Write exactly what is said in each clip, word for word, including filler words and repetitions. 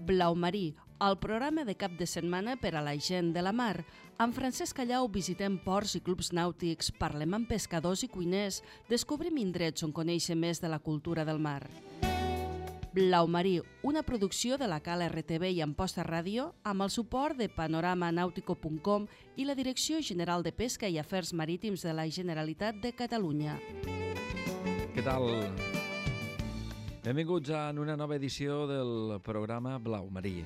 Blau Marí, el programa de cap de setmana per a la gent de la mar. Amb Francesc Callau visitem ports i clubs nàutics, parlem amb pescadors i cuiners, descobrim indrets on conèixer més de la cultura del mar. Blau Marí, una producció de la Cal R T V i Amposta Ràdio, amb el suport de panorama nautico punt com i la Direcció General de Pesca i Afers Marítims de la Generalitat de Catalunya. Què tal? Benvinguts a una nova edició del programa Blau Marí.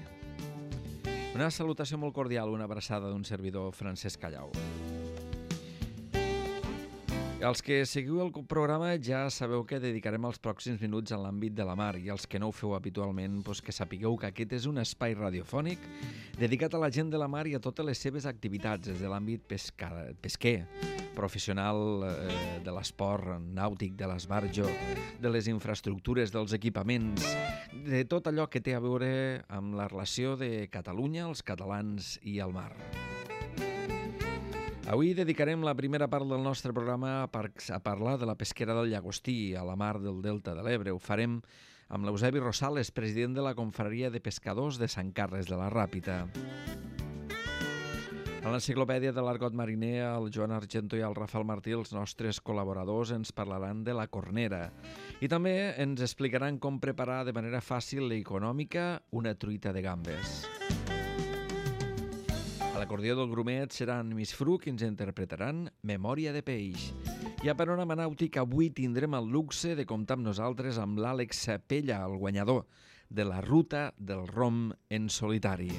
Una salutació molt cordial, una abraçada d'un servidor, Francesc Callau. Els que seguiu el programa ja sabeu que dedicarem els pròxims minuts a l'àmbit de la mar, i els que no ho feu habitualment, doncs que sapigueu que aquest és un espai radiofònic dedicat a la gent de la mar i a totes les seves activitats, des de l'àmbit pesca, pesquer, professional eh, de l'esport nàutic, de l'esbarjo, de les infraestructures, dels equipaments, de tot allò que té a veure amb la relació de Catalunya, els catalans i el mar. Avui dedicarem la primera part del nostre programa a, par a parlar de la pesquera del llagostí a la mar del Delta de l'Ebre. Ho farem amb l'Eusebi Rosales, president de la Confraria de Pescadors de Sant Carles de la Ràpita. A l'Enciclopèdia de l'Argot Mariner, el Joan Argento i el Rafael Martí, els nostres col·laboradors, ens parlaran de la cornera i també ens explicaran com preparar de manera fàcil i econòmica una truita de gambes. A l'acordió del Grumet seran Miss Fru, que ens interpretaran Memòria de peix. I a Panorama Nàutic avui tindrem el luxe de comptar amb nosaltres amb l'Àlex Pella, el guanyador de la Ruta del Rom en solitari.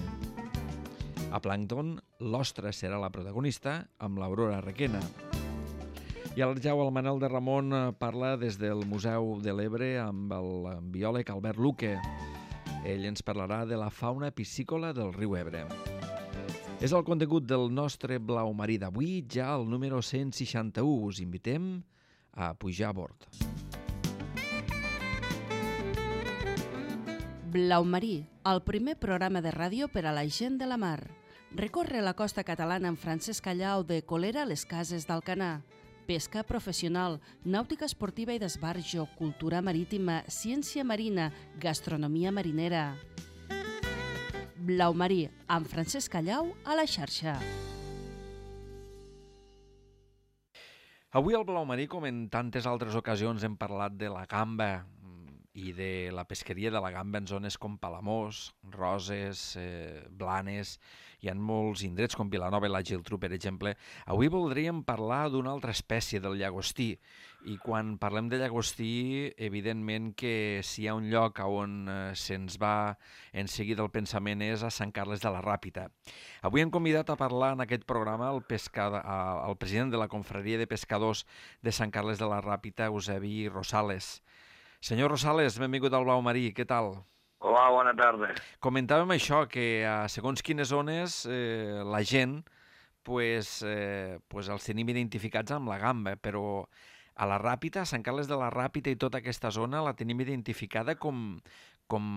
A Plàncton, l'ostra serà la protagonista amb l'Aurora Requena. I al Jau, el Manel de Ramon parla des del Museu de l'Ebre amb el biòleg Albert Luque. Ell ens parlarà de la fauna piscícola del riu Ebre. És el contingut del nostre Blau Marí d'avui, ja el número cent seixanta-u. Us invitem a pujar a bord. Blau Marí, el primer programa de ràdio per a la gent de la mar. Recorre la costa catalana amb Francesc Callau de Colera a les Cases d'Alcanar. Pesca professional, nàutica esportiva i d'esbarjo, cultura marítima, ciència marina, gastronomia marinera. Blau Marí, amb Francesc Callau a la xarxa. Avui al Blau Marí, com en tantes altres ocasions, hem parlat de la gamba i de la pesqueria de la gamba en zones com Palamós, Roses, eh, Blanes. Hi ha molts indrets com Vilanova i la Geltrú, per exemple. Avui voldríem parlar d'una altra espècie del llagostí. I quan parlem de llagostí, evidentment que si hi ha un lloc on eh, se'ns va en seguida el pensament és a Sant Carles de la Ràpita. Avui hem convidat a parlar en aquest programa el, pescada, el president de la Confraria de Pescadors de Sant Carles de la Ràpita, Eusebi Rosales. Senyor Rosales, benvingut al Blau Marí, què tal? Hola, bona tarda. Comentàvem això, que a segons quines zones eh, la gent pues, eh, pues els tenim identificats amb la gamba, però a la Ràpita, a Sant Carles de la Ràpita i tota aquesta zona la tenim identificada com, com,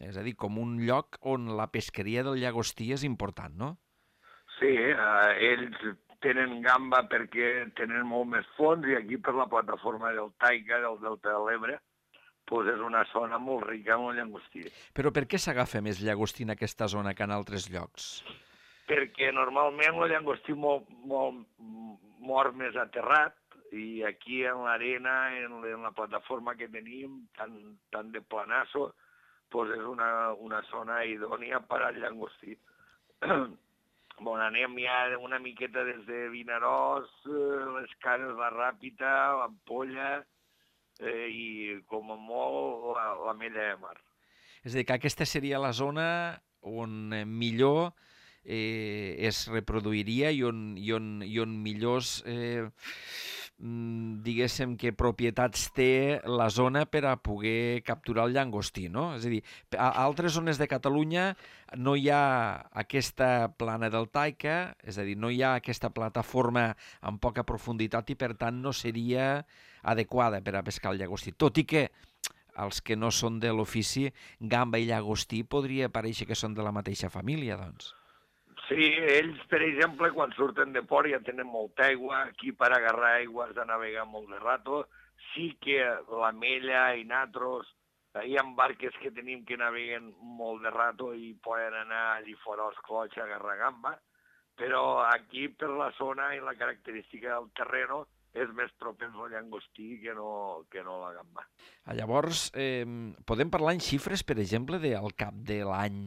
és a dir, com un lloc on la pesqueria del llagostí és important, no? Sí, eh, ells tenen gamba perquè tenen molt més fons i aquí per la plataforma del Taica, del Delta de l'Ebre, pues és una zona molt rica en el llagostí. Però per què s'agafa més llagostí en aquesta zona que en altres llocs? Perquè normalment el llagostí mor, mor, mor més aterrat i aquí en l'arena, en, en la plataforma que tenim, tan, tan de planasso, pues és una, una zona idònia per al llagostí. Bon, anem ja una miqueta des de Vinaròs, les Cases de la Ràpita, l'Ampolla, Eh, i com a molt la, la Mella de Mar. És a dir, que aquesta seria la zona on millor eh, es reproduiria i on, i on, i on millors, eh, diguéssim, que propietats té la zona per a poder capturar el llagostí, no? És a dir, a altres zones de Catalunya no hi ha aquesta plana del Taica, és a dir, no hi ha aquesta plataforma amb poca profunditat i, per tant, no seria adequada per a pescar el llagostí. Tot i que els que no són de l'ofici, gamba i llagostí podria parèixer que són de la mateixa família, doncs. Sí, ells, per exemple, quan surten de port ja tenen molta aigua, aquí per agarrar aigua has de navegar molt de rato, sí que la Mella i natros Hi ha barques que tenim que naveguen molt de rato i poden anar allí fora als clots a agarrar gamba, però aquí per la zona i la característica del terreno és més propens al llangostí que no, que no la gamba. Llavors, eh, podem parlar en xifres, per exemple, de, al cap de l'any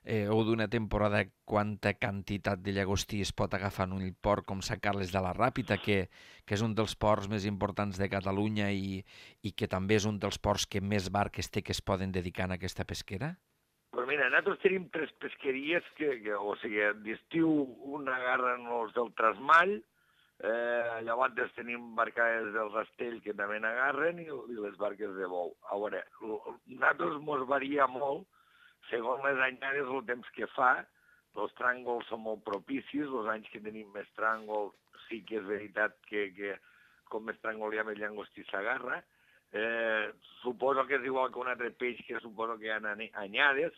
eh, o d'una temporada quanta quantitat de llagostí es pot agafar en un port com Sant Carles de la Ràpita, que, que és un dels ports més importants de Catalunya i, i que també és un dels ports que més barques té que es poden dedicar a aquesta pesquera? Pues mira, nosaltres tenim tres pesqueries, que, que o sigui, d'estiu una agarren els del Trasmall, eh, llavors tenim barcades del Rastell que també n'agarren i, i les barques de bou. A veure, nosaltres mos varia molt, segons les anyades, el temps que fa. Els tràngols són molt propicis, els anys que tenim més tràngol sí que és veritat que, que com més tràngol hi ha, més llangostí s'agarra. Eh, suposo que és igual que un altre peix, que suposo que hi ha anyades,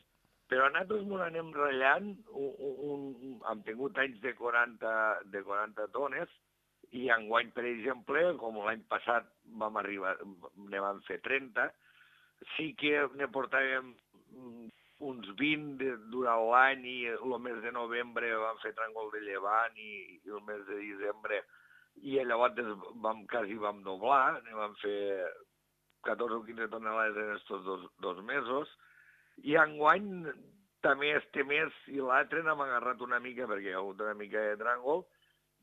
però nosaltres ens anem ratllant, un, un, un, hem tingut anys de quaranta, de quaranta tones, i enguany, per exemple, com l'any passat vam arribar, ne vam fer trenta, sí que ne portàvem uns vint durant l'any i el mes de novembre vam fer tràngol de llevant i, i el mes de desembre i llavors vam, quasi vam doblar, ne vam fer catorze o quinze tonelades en aquests dos, dos mesos i enguany també este mes i l'altre n'hem agarrat una mica perquè hi ha hagut una mica de tràngol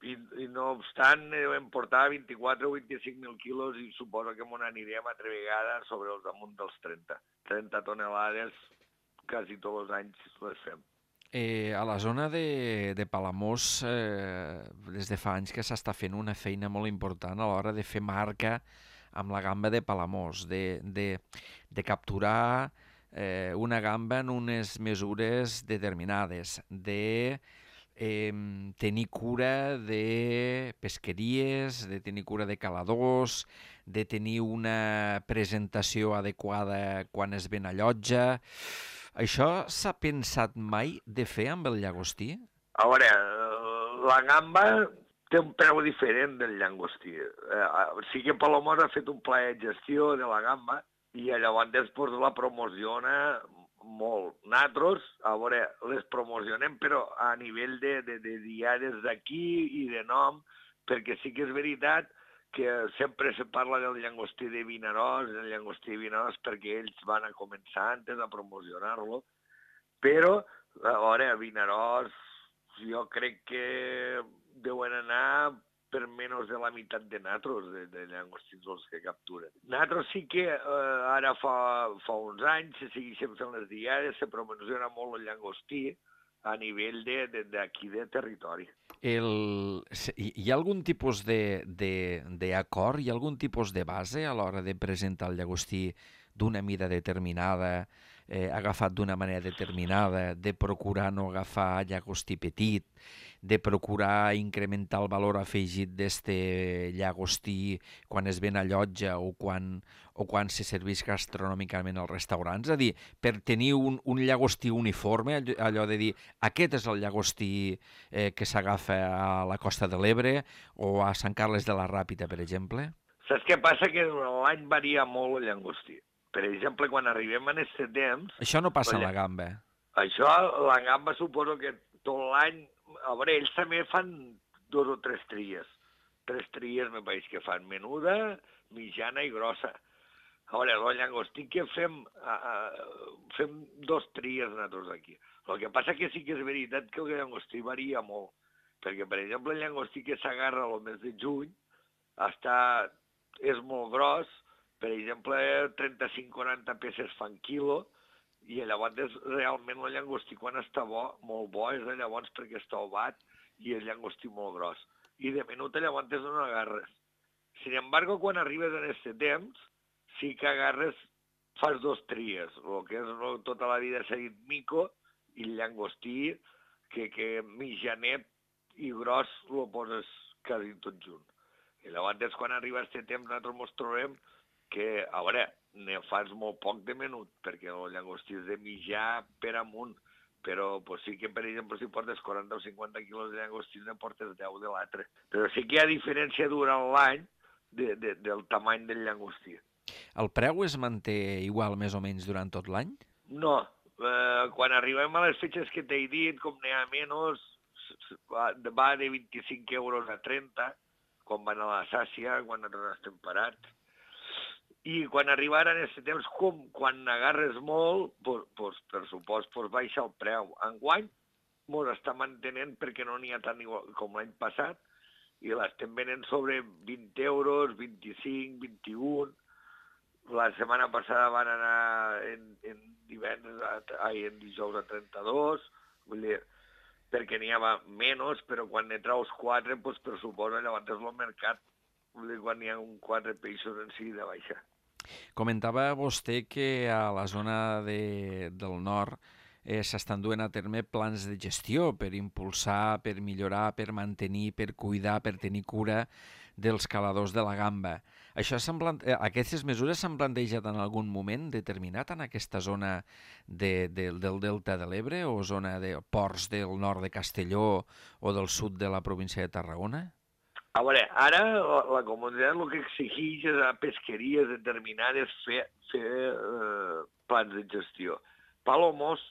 i, i no obstant vam portar vint-i-quatre o vint-i-cinc mil quilos i suposo que m'ho anirem altra vegada sobre els damunt dels trenta. trenta tonelades quasi tots els anys les fem. Eh, a la zona de, de Palamós, eh, des de fa anys que s'està fent una feina molt important a l'hora de fer marca amb la gamba de Palamós, de, de, de capturar eh, una gamba en unes mesures determinades, de eh, tenir cura de pesqueries, de tenir cura de caladors, de tenir una presentació adequada quan es ven a llotja. Això s'ha pensat mai de fer amb el llagostí? A veure, la gamba té un preu diferent del llangostí. Sí que Palamós ha fet un pla de gestió de la gamba i llavors després la promociona molt. Nosaltres, a veure, les promocionem però a nivell de, de, de diaris d'aquí i de nom, perquè sí que és veritat que sempre se parla del llangostí de Vinaròs, del llangostí de Vinaròs, perquè ells van a començar antes a promocionar-lo, però, a veure, a Vinaròs jo crec que deuen anar per menys de la meitat de natros, de, de llangostins els que capturen. Natros sí que eh, ara fa, fa uns anys se segueixen fent les diades, se promociona molt el llangostí a nivell d'aquí de, de, de territori. El, hi ha algun tipus d'acord, hi ha algun tipus de base a l'hora de presentar el llagostí d'una mida determinada, eh, agafat d'una manera determinada, de procurar no agafar llagostí petit, de procurar incrementar el valor afegit d'este llagostí quan es ven a llotja o quan, o quan se serveix gastronòmicament als restaurants? És a dir, per tenir un, un llagostí uniforme, allò de dir aquest és el llagostí eh, que s'agafa a la Costa de l'Ebre o a Sant Carles de la Ràpita, per exemple? Saps què passa? Que l'any varia molt el llagostí. Per exemple, quan arribem en aquest temps... Això no passa en la gamba. Això, la gamba suposo que tot l'any... A veure, ells també fan dos o tres tries. Tres tries, me pareix que fan menuda, mitjana i grossa. A veure, el llagostí que fem, uh, fem dos tries nosaltres aquí. El que passa que sí que és veritat que el llagostí varia molt. Perquè, per exemple, el llagostí que s'agarra el mes de juny està, és molt gros, per exemple, trenta-cinc a quaranta peces fan quilo, i llavors realment el llagostí quan està bo, molt bo, és llavors perquè està obat i el llagostí molt gros. I de menut llavors no agarres. Sin embargo, quan arribes en aquest temps, sí que agarres, fas dos tries, el que és no, tota la vida s'ha dit mico i el llagostí, que, que mitjanet i gros el poses quasi tot junt. I llavors quan arriba aquest temps nosaltres ens trobem que, a veure, ne fas molt poc de menut, perquè el llagostí és de mitjà per amunt, però pues, sí que, per exemple, si portes quaranta o cinquanta quilos de llagostí, ne portes deu de l'altre. Però sí que hi ha diferència durant l'any de, de, del tamany del llagostí. El preu es manté igual més o menys durant tot l'any? No, eh, quan arribem a les fetges que t'he dit, com n'hi ha menys, va de vint-i-cinc euros a trenta, quan van a la sàcia, quan nosaltres estem parats. I quan arribaren en aquest temps, com quan agarres molt, pues, pues, per supost, pues, baixa el preu. Enguany mos està mantenint perquè no n'hi ha tant igual com l'any passat, i l'estem venent sobre vint euros, vint-i-cinc, vint-i-un. La setmana passada van anar en, en divendres, ai, en dijous a trenta-dos, vull dir, perquè n'hi havia menys, però quan ne traus quatre, doncs per suposa, llavors és el mercat, vull dir, quan n'hi ha un quatre peixos en si de baixa. Comentava vostè que a la zona de, del nord eh, s'estan duent a terme plans de gestió per impulsar, per millorar, per mantenir, per cuidar, per tenir cura dels caladors de la gamba. Això eh, aquestes mesures s'han plantejat en algun moment determinat en aquesta zona de, de, del Delta de l'Ebre o zona de ports del nord de Castelló o del sud de la província de Tarragona? A veure, ara la, la comunitat el que exigeix és a pesqueries determinades fer, fer eh, plans de gestió. Palomos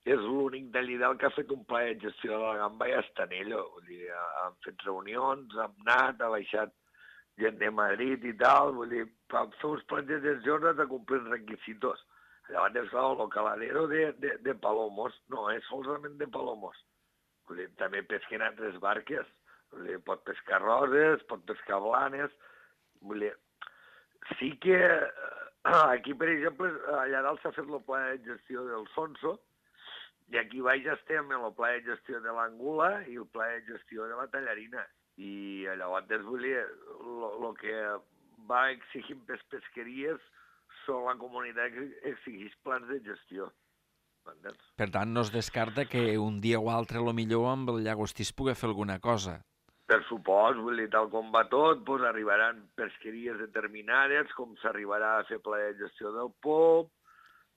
és l'únic de Llidal que ha fet un pla de gestió de la gamba i està en ello. Vull dir, han fet reunions, han anat, ha baixat gent de Madrid i tal, vull dir, per fer uns plans de gestió has de complir requisitos. Llavors, és clar, el caladero de, de, de Palomos no és solament de Palomos. Vull dir, també pesquen altres barques. Vull dir, pot pescar roses, pot pescar blanes. Vull dir, sí que aquí, per exemple, allà dalt s'ha fet el pla de gestió del Sonso i aquí baix estem en el pla de gestió de l'Angula i el pla de gestió de la Tallarina. I llavors, vull dir, el que va exigint per pesqueries són la comunitat que exigeix plans de gestió. Per tant, no es descarta que un dia o altre, lo millor, amb el llagostí es pugui fer alguna cosa. Per supost, vull dir, tal com va tot, doncs arribaran pesqueries determinades, com s'arribarà a fer pla de gestió del pop,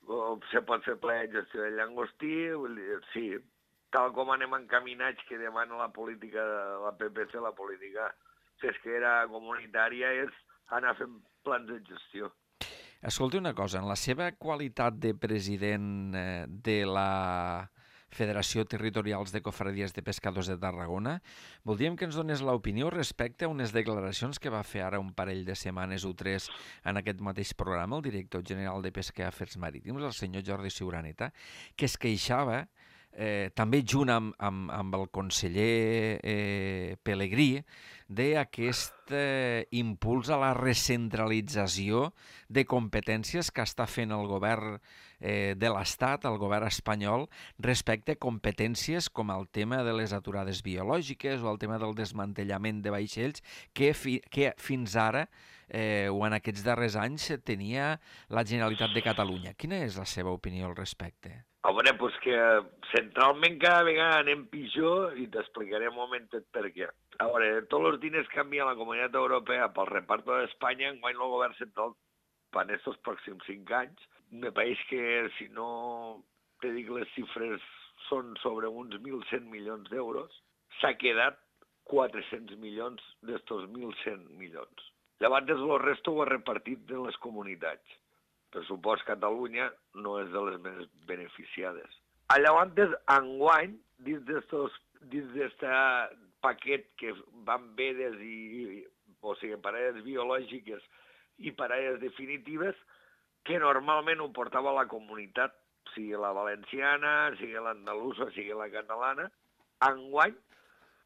o se pot fer pla de gestió del llagostí, vull dir, sí, tal com anem encaminats que demana la política, la P P C, la política pesquera comunitària, és anar fent plans de gestió. Escolti una cosa, en la seva qualitat de president de la Federació Territorials de Cofradies de Pescadors de Tarragona, voldríem que ens donés l'opinió respecte a unes declaracions que va fer ara un parell de setmanes o tres en aquest mateix programa el director general de Pesca i Afers Marítims, el senyor Jordi Ciuraneta, que es queixava, eh, també junt amb, amb, amb el conseller eh, Pelegrí, d'aquest eh, impuls a la recentralització de competències que està fent el govern eh, de l'Estat, el govern espanyol, respecte a competències com el tema de les aturades biològiques o el tema del desmantellament de vaixells que, fi, que fins ara eh, o en aquests darrers anys tenia la Generalitat de Catalunya. Quina és la seva opinió al respecte? Home, doncs que centralment cada vegada anem pitjor i t'explicaré un momentet per què. A veure, tots els diners que envia la Comunitat Europea pel reparto d'Espanya, enguany el govern central, per aquests pròxims cinc anys, me pareix que, si no te dic les xifres, són sobre uns mil cent milions d'euros, s'ha quedat quatre-cents milions d'estos mil cent milions. Llavors, el resto ho ha repartit de les comunitats. Per supost, Catalunya no és de les més beneficiades. Llavors, enguany, dins d'aquest paquet que van vedes, i, o sigui, parelles biològiques i parelles definitives, que normalment ho portava la comunitat, sigui la valenciana, sigui l'andalusa, sigui la catalana, enguany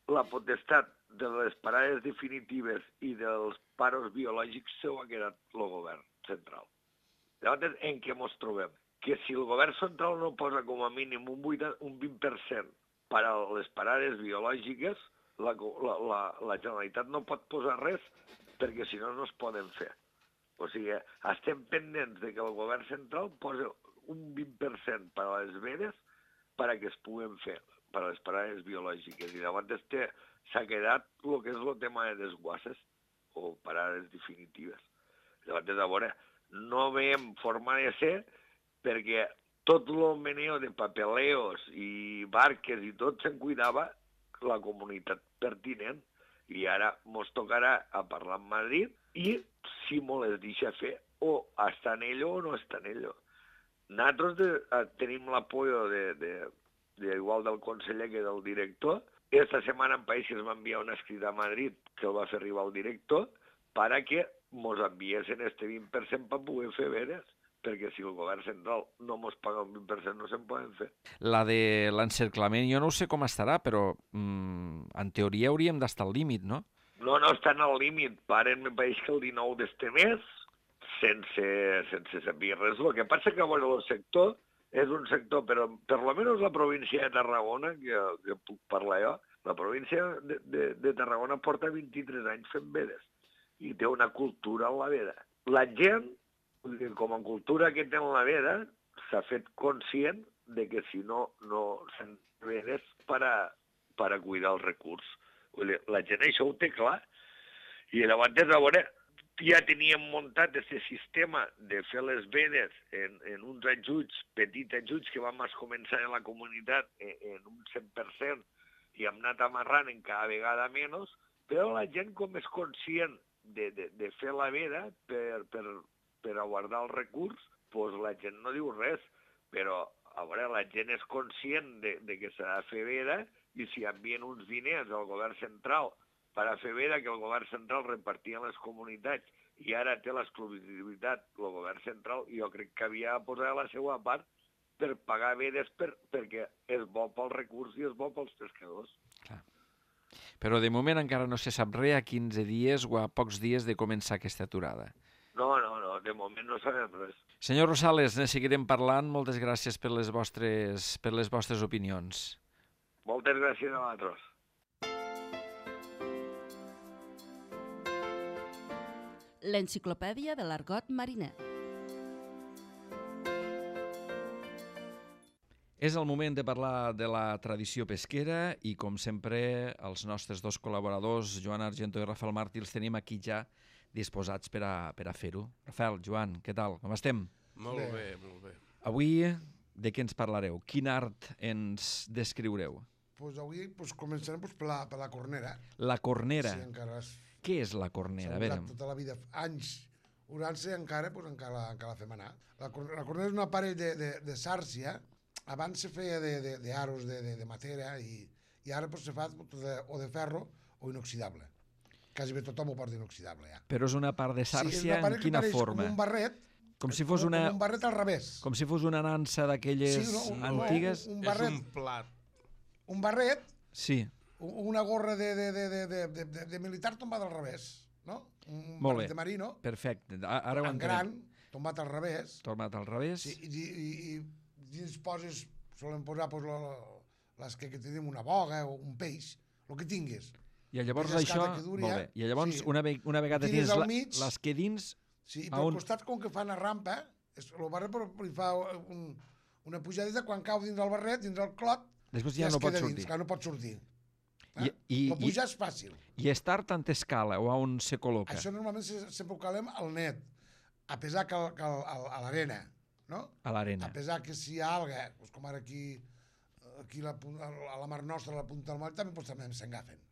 la potestat de les parelles definitives i dels paros biològics s'ho ha quedat el govern central. Llavors, en què ens trobem? Que si el govern central no posa com a mínim un vint per cent per a les parades biològiques, la, la, la, la Generalitat no pot posar res perquè si no no es poden fer. O sigui, estem pendents de que el govern central posi un vint per cent per a les vedes perquè es puguen fer, per a les parades biològiques. I llavors s'ha quedat el que és el tema de desguasses o parades definitives. Llavors, a veure, no veiem forma de ser perquè tot el meneo de papeleos i barques i tot se'n cuidava la comunitat pertinent i ara ens tocarà a parlar amb Madrid i si me les deixa fer, o està en ello o no està en ello. Nosaltres de, eh, tenim l'apoyo de, de, de, igual del conseller que del director. Esta setmana en País es va enviar un escrit a Madrid que el va fer arribar al director para que mos enviessin este vint per cent per poder fer veres, perquè si el govern central no mos paga un vint per cent no se'n poden fer. La de l'encerclament, jo no sé com estarà, però mm, en teoria hauríem d'estar al límit, no? No, no estan al límit. Paren, me pareix que el dinou d'este mes, sense, sense saber res. El que passa que, bueno, el sector és un sector, però per lo menos la província de Tarragona, que, que puc parlar jo, la província de, de, de Tarragona porta vint-i-tres anys fent vedes i té una cultura en la veda. La gent, com a cultura que té en la veda, s'ha fet conscient de que si no, no se'n vedes per a, per a cuidar el recurs. La gent això ho té clar. I llavors, a veure, ja teníem muntat aquest sistema de fer les vedes en, en uns ajuts, petits ajuts que vam començar en la comunitat en, en un cent per cent i hem anat amarrant en cada vegada menys, però la gent com és conscient de, de, de fer la veda per, per, per a guardar el recurs, doncs la gent no diu res, però a veure, la gent és conscient de, de que s'ha de fer veda i si envien uns diners al govern central per a fer veda que el govern central repartia en les comunitats i ara té l'exclusivitat el govern central, jo crec que havia de posar la seva part per pagar vedes per, perquè és bo pel recurs i és bo pels pescadors. Clar. Però de moment encara no se sap res a quinze dies o a pocs dies de començar aquesta aturada. No, no, no, de moment no sabem res. Senyor Rosales, ne seguirem parlant. Moltes gràcies per les vostres, per les vostres opinions. Moltes gràcies a vosaltres. L'enciclopèdia de l'argot mariner. És el moment de parlar de la tradició pesquera i, com sempre, els nostres dos col·laboradors, Joan Argento i Rafael Martí, els tenim aquí ja disposats per a, per a fer-ho. Rafael, Joan, què tal? Com estem? Molt bé, bé molt bé. Avui, de què ens parlareu? Quin art ens descriureu? Pues avui pues, començarem pues, per, la, per la cornera. La cornera. Sí, encara és... Què és la cornera? A veure... Tota la vida, anys, orant-se encara, pues, encara, encara la fem anar. La, la cornera és un aparell de, de, de sàrcia. Abans se feia d'aros de, de, de, de matera i, i ara pues, se fa de, o de ferro o inoxidable. Quasi bé tothom ho porta inoxidable, ja. Però és una part de sàrcia, sí, en quina forma? Com un barret, com si fos una... com un barret al revés. Com si fos una nansa d'aquelles sí, no, un, antigues? Un, un barret, és un plat. Un barret, sí. Una gorra de, de, de, de, de, de, de militar tombada al revés, no? Un Molt barret bé. de marino. Perfecte, ara ho en gran, tombat al revés. Tombat al revés. Sí, i, i, i dins poses, solen posar pues, lo, les que, que tenim una boga o un peix, el que tinguis. I llavors això, molt bé, i llavors sí. una, ve, una vegada tens la, mig, les que dins... Sí, i pel un... costat, com que fan a rampa, és, el barret li fa un, una pujadeta, quan cau dins el barret, dins el clot, després ja, ja no pot sortir. Dins, que no pot sortir. I, i, el pujar és fàcil. I estar tant escala o a on se col·loca? Això normalment sempre ho calem al net, a pesar que, el, que el, a l'arena, no? A l'arena. A pesar que si hi ha alga, doncs com ara aquí, aquí la, a la mar nostra, a la punta del moll, també, doncs, també s'engafen.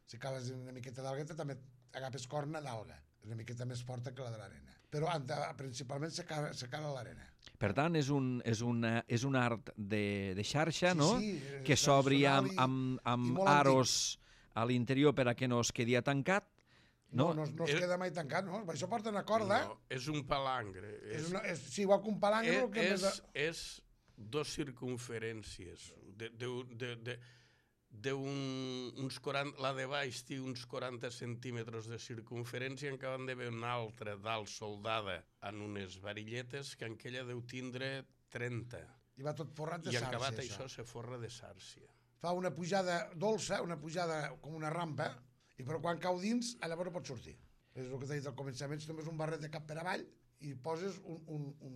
Si acabes una miqueta d'alga, també agafes corna d'alga. És una miqueta més forta que la de l'arena. Però principalment se cala a l'arena. Per tant, és un, és una, és un art de, de xarxa, sí, no? Sí, que s'obri amb, amb, amb aros a l'interior per a que no es quedi tancat. No, no, no, no es queda mai tancat, no? Això porta una corda. No, és un palangre. És, és una, és, sí, igual que un palangre. És, que és, més... és dos circunferències. De, de, de, de, de un, uns quaranta, la de baix té uns quaranta centímetres de circunferència, en acaben de veure una altra dalt soldada en unes varilletes que en aquella deu tindre trenta. I va tot forrat de I sàrcia, I acabat això. això se forra de sàrcia. Fa una pujada dolça, una pujada com una rampa, i però quan cau dins, llavors no pot sortir. És el que t'he dit al començament, si només un barret de cap per avall i poses un, un, un,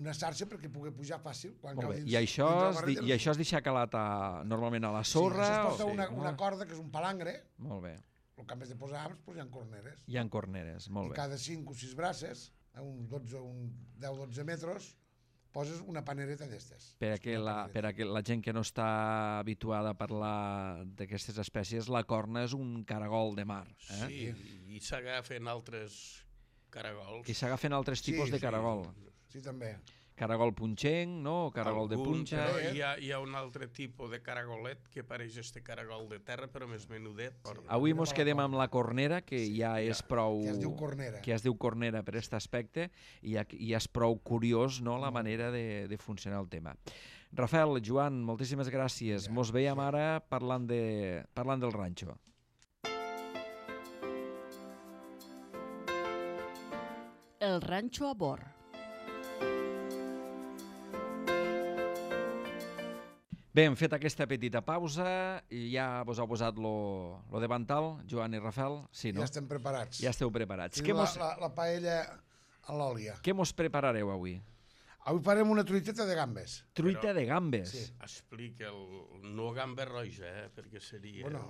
una sàrcia perquè pugui pujar fàcil quan cau dins. I això, dins es, barret, i això es deixa calat a, normalment a la sorra? Sí, això es posa o... una, sí, una corda, que és un palangre. Molt bé. El que en vez de posar arms, pues hi ha corneres. Hi ha corneres, molt I bé. cada cinc o sis braces, a uns dotze, un deu o dotze metres, poses una panereta d'estes. Per a que la, per a que la gent que no està habituada a parlar d'aquestes espècies, la corna és un caragol de mar. Eh? Sí, i s'agafen altres caragols. I s'agafen altres tipus Sí, de sí. caragol. Sí, també. Caragol punxenc, no? Caragol de Algun, punxa. però hi ha, hi ha un altre tipus de caragolet que pareix este caragol de terra, però més menudet. Sí. Avui mos quedem amb la cornera, que Sí, ja és prou... Que es diu cornera. que es diu cornera per aquest aspecte, i ja, ja és prou curiós, no?, la manera de, de funcionar el tema. Rafael, Joan, moltíssimes gràcies. Ja, Mos veiem ara parlant, de, parlant del ranxo. El ranxo a bord. Bé, hem fet aquesta petita pausa i ja vos heu posat lo, lo davantal, Joan i Rafael? Sí, no? Ja estem preparats. Ja esteu preparats. Què Tenim la, mos, la, la paella a l'òlia. què mos preparareu avui? Avui farem una truiteta de gambes. Truita Però- de gambes. Sí. Explica el... No gamba roja, eh? Perquè seria... Bueno,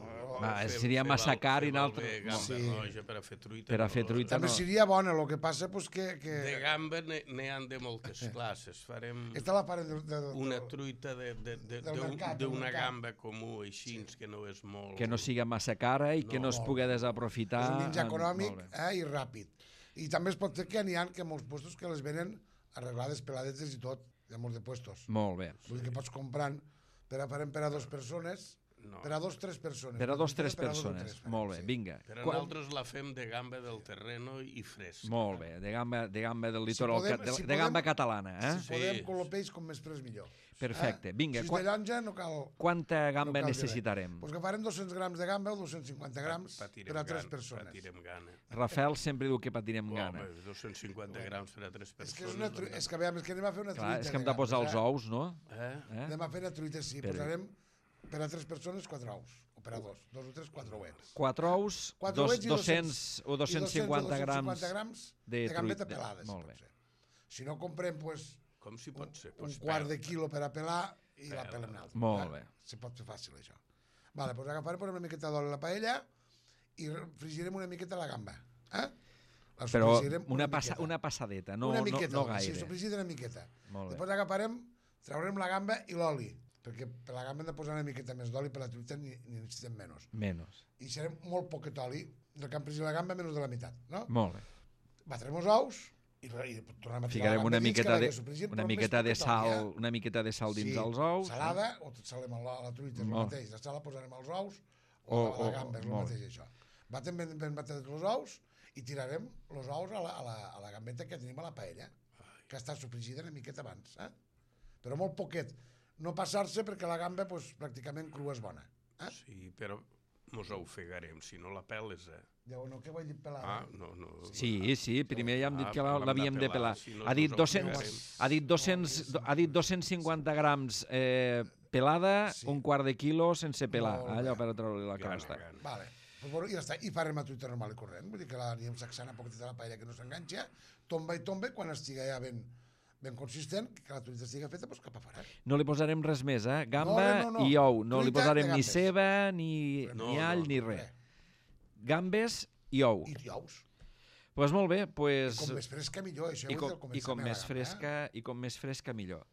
va, fer- seria fer massa val- car fer i val naltre- bé Gamba Sí. roja per a fer truita. Per a no. fer truita També no. seria bona, el que passa pues, que... que... De gamba n'hi n'hi han de moltes classes. Farem Esta la farem de, de, de, una truita de- de- de- del d'un- mercat, del d'una mercat. gamba comú, així, que no és molt... Que no siga massa cara i que no, No, es molt pugui bé. desaprofitar. És un menjar en- econòmic molt bé. eh, i ràpid. I també es pot fer que n'hi ha que molts puestos que les venen arreglades, peladetes i tot, hi ha molts de puestos. Molt bé. Vull dir que pots comprant, per a, farem per a dues persones, No. per a dos, tres persones. Per a dos, tres Per a dos o persones. tres, farem, Molt bé, sí. vinga. Però Quan- nosaltres la fem de gamba del terreno i fresc. Molt bé, de gamba, de gamba del litoral, podem- ca- de, si de gamba podem- catalana, eh? Si podem, Sí. con el peix com més fresc millor. Perfecte. Vinga, Si és quan- de llonja no cal... quanta gamba no cal dir necessitarem? res. Pues agafarem dos-cents grams de gamba o dos-cents cinquanta grams Patirem per a tres gana, persones. Patirem gana. Rafael sempre diu que patirem gana. Home, dos-cents cinquanta grams per a tres És persones. que és, una tru... és que, veiem, és que anem a fer una Clar, truita és que hem de de posar gambes, els ous, no? Eh? Eh? Anem a fer una truita, sí. Per- Posarem per a tres persones quatre ous. O per a dos. Dos o tres, quatre ouets. Quatre ous, Quatre dos, ouets i dos-cents o I dos-cents cinquanta grams grams de de gambeta truita. pelada, si Molt pot bé. ser. Si no, comprem pues, Com si pot ser? un Pues quart de pèl. quilo per a pelar i la Pela. pelem nosaltres. Molt eh? bé. Se pot fer fàcil, això. Vale, doncs agafarem posem una miqueta d'oli a la paella i frigirem una miqueta la gamba. Eh? La Però sofregirem una, passa, miqueta. una passadeta, no, una no, miqueta, no Sí, gaire. sofregida una miqueta. Molt bé. Després agafarem, traurem la gamba i l'oli, perquè per la gamba hem de posar una miqueta més d'oli, per la truita ni, ni necessitem menys. Menos. I serem molt poquet oli, del que hem fregit la gamba menys de la meitat, no? Molt bé. Batrem els ous i, i tornem a tirar Ficarem la una gamba dins, que miqueta la de, que sofregim, una però miqueta més de poquet sal, oli, eh? una miqueta de sal dins Sí, dels ous. salada, o tot salem a la, a la truita, és el Molt. mateix. La sala posarem els ous, O- o, a la o- gamba, és el molt. mateix això. Batem ben, ben batetes els ous i tirarem els ous a la, a, la, a la gambeta que tenim a la paella, que està sofregida una miqueta abans, eh? Però molt poquet. No passar-se perquè la gamba pues, pràcticament crua és bona. Eh? Sí, però mos ofegarem, si no la peles, eh? Llavors, no, què vull dir pelada? Ah, no, no. Sí, sí, primer ja hem dit Ah, que però la- l'hem l'havíem de de pelar, pelar. si no Ha dit ens dos-cents, ofegarem. ha dit dos-cents, ha dit dos-cents cinquanta grams eh, pelada, Sí. un quart de quilo sense pelar, Molt allò bé. per treure la Gana, crosta. gana. Vale. Pues, bueno, i ja està. I farem la truita normal i corrent. Vull dir que la anirem sacsant a poquet de la paella que no s'enganxa, tomba i tomba, i quan estigui ja ben, ben consistent, que la truita estigui feta, doncs cap a fora. No li posarem res més, eh? Gamba No, no, no. i ou. No li Truita posarem de ni gambes. ceba, ni, No, ni no, all, no, ni res. Gambes i ou. I ous. Doncs pues molt bé, pues, Com més fresca, millor. Això i, ho com, he dit al i com començament, més la gamba, fresca i com més fresca millor.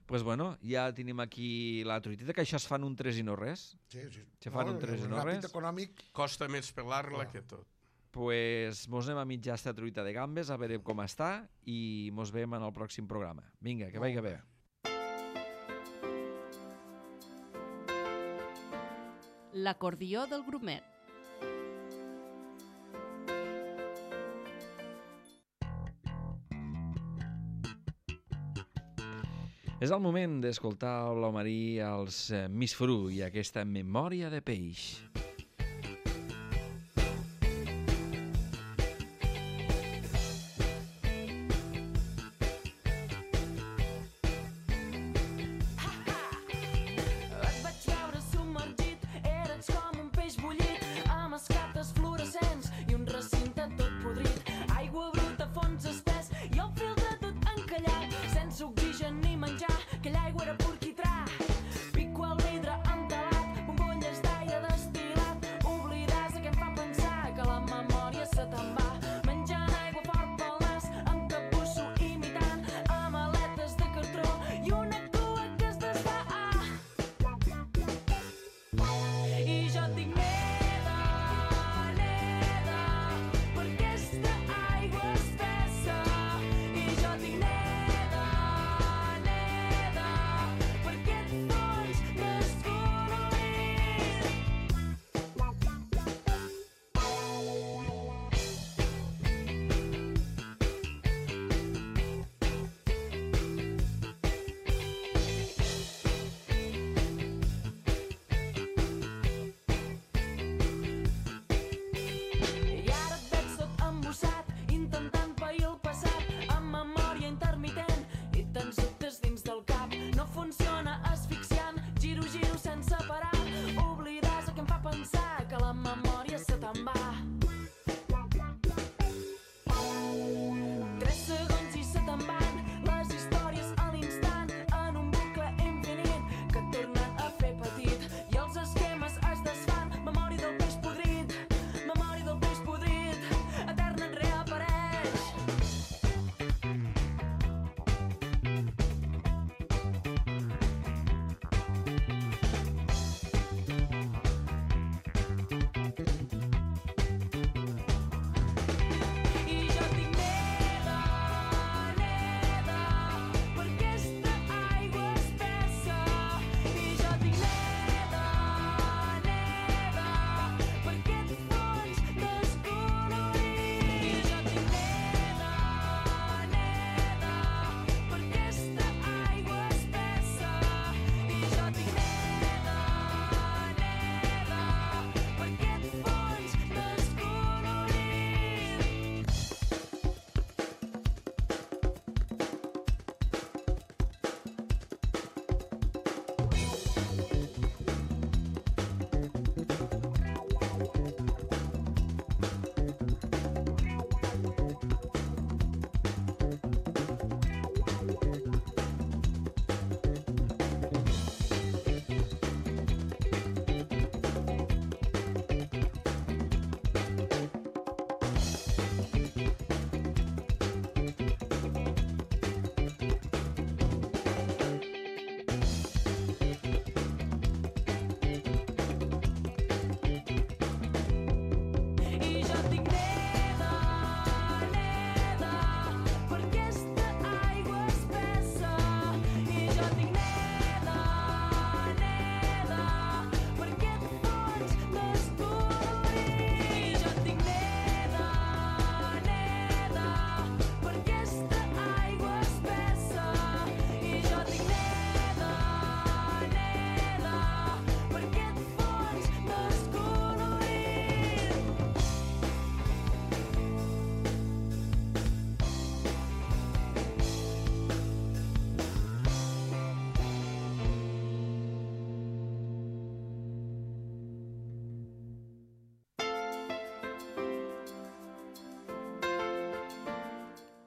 Pues bueno, ja tenim aquí la truiteta, que això es fan un tres i no res. Eh? Sí, sí. Se fan un tres i no ràpid, res. econòmic. Costa més pelar-la Ah. que tot. Pues mos anem a mitjar esta truita de gambes, a veure com està, i mos veiem en el pròxim programa. Vinga, que vagi bé. L'acordió del grumet. És el moment d'escoltar l'Omarí als eh, Miss Fru i aquesta memòria de peix. Et vaig veure submergit, eres com un peix bullit, amb escates fluorescents i un recinte tot podrit. Aigua bruta, fons espès i el filtre tot encallat, sense oxigen ni menjar, aquella aigua era pur quitrà. Pico al vidre entelat, bombolles d'aire destil·lat.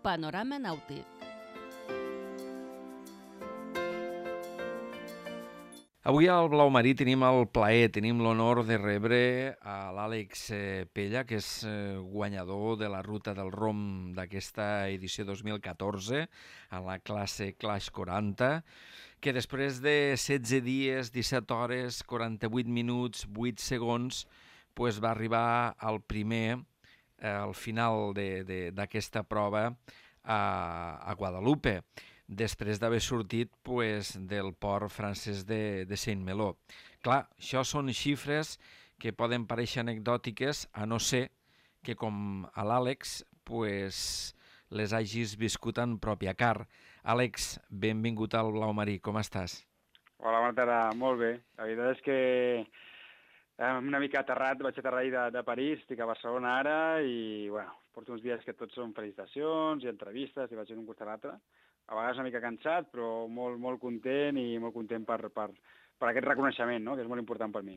Panorama Nàutic. Avui al Blau Marí tenim el plaer, tenim l'honor de rebre a l'Àlex Pella, que és guanyador de la Ruta del Rom d'aquesta edició dos mil catorze, a la classe Clash quaranta, que després de setze dies, disset hores, quaranta-vuit minuts, vuit segons, pues va arribar al primer, al final d'aquesta prova a, a Guadalupe, després d'haver sortit pues, del port francès de, de Saint-Malo. Clar, això són xifres que poden parèixer anecdòtiques, a no ser que, com a l'Àlex, pues, les hagis viscut en pròpia car. Àlex, benvingut al Blau Marí, com estàs? Hola, bona tarda, molt bé. La veritat és que una mica aterrat, vaig aterrar de, de París, estic a Barcelona ara i, bueno, porto uns dies que tots són felicitacions i entrevistes i vaig d'un costat a l'altre. A vegades una mica cansat, però molt, molt content i molt content per, per, per aquest reconeixement, no?, que és molt important per mi.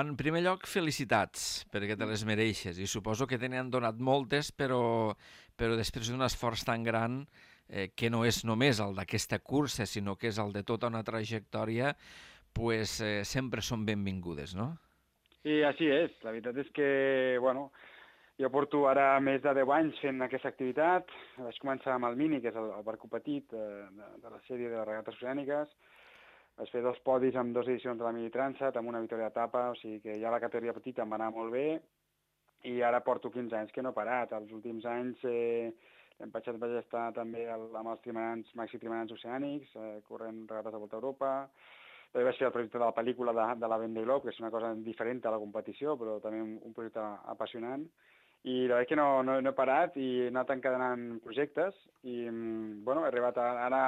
En primer lloc, felicitats, perquè te les mereixes, i suposo que te n'han donat moltes, però, però després d'un esforç tan gran, eh, que no és només el d'aquesta cursa, sinó que és el de tota una trajectòria, pues, eh, sempre són benvingudes, no? Sí, així és. La veritat és que, bueno, jo porto ara més de deu anys fent aquesta activitat. Vaig començar amb el Mini, que és el, el barco petit eh, de, de la sèrie de les regates oceàniques. Vaig fer dos podis amb dues edicions de la Mini Transat, amb una victòria d'etapa, o sigui que ja la categoria petita em va anar molt bé i ara porto quinze anys que no he parat. Els últims anys eh, l'any passat vaig estar també el, amb els trimanants, maxi trimanants oceànics, eh, corrent regates de Volta a Europa. També vaig fer el projecte de la pel·lícula de, de la Vendée Globe, que és una cosa diferent a la competició, però també un, un projecte apassionant. I la veritat que no, no, no he parat i he anat encadenant projectes i, bueno, he arribat a, ara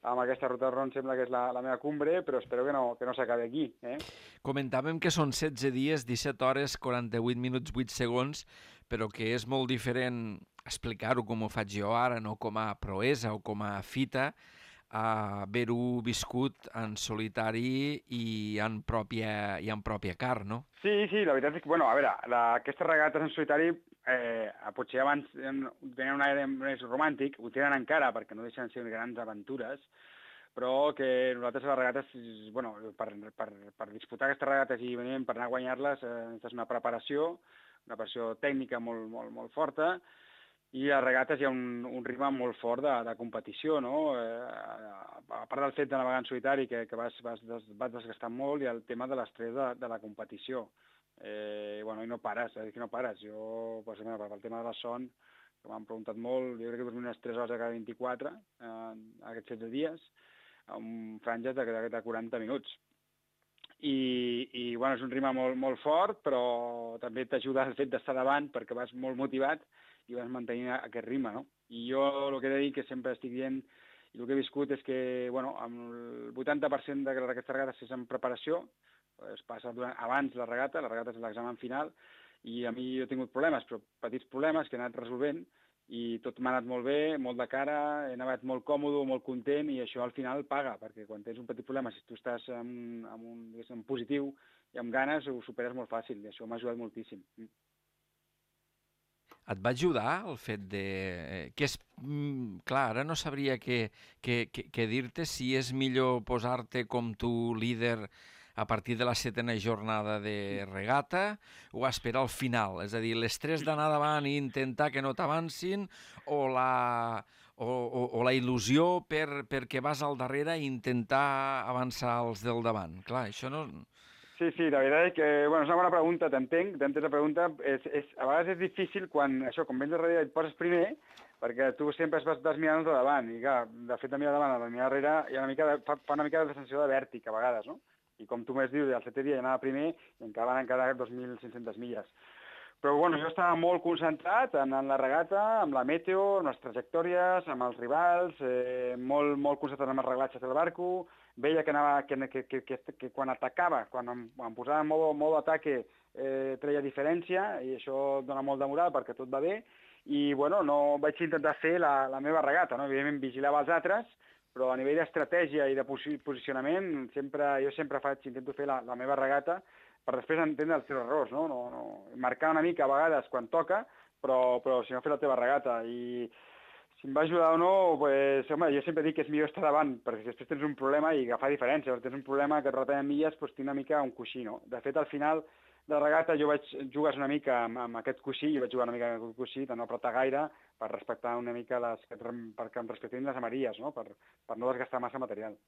amb aquesta Ruta del Rom, sembla que és la, la meva cumbre, però espero que no, que no s'acabi aquí. Eh? Comentàvem que són setze dies, disset hores, quaranta-vuit minuts, vuit segons, però que és molt diferent explicar-ho com ho faig jo ara, no com a proesa o com a fita, a haver-ho viscut en solitari i en pròpia, i en pròpia car, no? Sí, sí, la veritat és que, bueno, a veure, la, aquestes regates en solitari eh, potser abans tenien un aire més romàntic, ho tenen encara perquè no deixen de ser grans aventures, però que nosaltres les regates, bueno, per, per, per disputar aquestes regates i venir per anar a guanyar-les, eh, és una preparació, una preparació tècnica molt, molt, molt forta, i a regates hi ha un, un ritme molt fort de, de competició, no? Eh, a part del fet de navegar en solitari, que, que vas, vas, des, vas desgastant molt, i el tema de l'estrès de, de la competició. Eh, bueno, i no pares, és que no pares. Jo, per exemple, pel tema de la son, que m'han preguntat molt, jo crec que dormim unes tres hores a cada vint-i-quatre, eh, aquests setze dies, amb franges de, de, de quaranta minuts. I, i bueno, és un ritme molt, molt fort, però també t'ajuda el fet d'estar davant perquè vas molt motivat i vas mantenir aquest ritme, no? I jo el que he de dir, que sempre estic dient, i el que he viscut és que, bueno, amb el vuitanta per cent d'aquestes regates és en preparació, es passa durant, abans la regata, la regata és l'examen final, i a mi jo he tingut problemes, però petits problemes que he anat resolvent, i tot m'ha anat molt bé, molt de cara, he anat molt còmode, molt content, i això al final paga, perquè quan tens un petit problema, si tu estàs en, en un, en positiu i amb ganes, ho superes molt fàcil, i això m'ha ajudat moltíssim. Et va ajudar el fet de... que és... Clar, ara no sabria què, què, què, què dir-te, si és millor posar-te com tu líder a partir de la setena jornada de regata o esperar al final, és a dir, l'estrès d'anar davant i intentar que no t'avancin o la, o, o, o la il·lusió per, perquè vas al darrere i intentar avançar els del davant. Clar, això no... Sí, sí, la veritat és que, bueno, és una bona pregunta, t'entenc, t'entenc la pregunta, és, és, a vegades és difícil quan, això, quan vens darrere i et poses primer, perquè tu sempre vas, vas mirant de davant, i clar, de fet de mirar davant, de mirar darrere, hi ha una mica de, fa, fa una mica de sensació de vèrtic a vegades, no? I com tu m'has dit, el setè dia ja anava primer i encara van encara dos mil cinc-centes milles. Però, bueno, jo estava molt concentrat en, en la regata, amb la meteo, amb les trajectòries, amb els rivals, eh, molt, molt concentrat amb els reglatges del barco, veia que, anava, que, que, que, que, que quan atacava, quan em, em posava en modo, modo ataque, eh, treia diferència, i això dona molt de moral perquè tot va bé, i, bueno, no vaig intentar fer la, la meva regata, no? Evidentment vigilava els altres, però a nivell d'estratègia i de posicionament, sempre, jo sempre faig, intento fer la, la meva regata, per després entendre els teus errors, no? No, no. Marcar una mica a vegades quan toca, però, però si no, fer la teva regata. I si em va ajudar o no, pues, home, jo sempre dic que és millor estar davant, perquè després tens un problema i agafar diferència. Si tens un problema que et retallen milles, doncs tinc una mica un coixí, no? De fet, al final de la regata jo vaig jugar una mica amb, amb aquest coixí, jo vaig jugar una mica amb aquest coixí, de no apretar gaire, per respectar una mica les, perquè em respectin les amarilles, no? Per, per no desgastar massa material.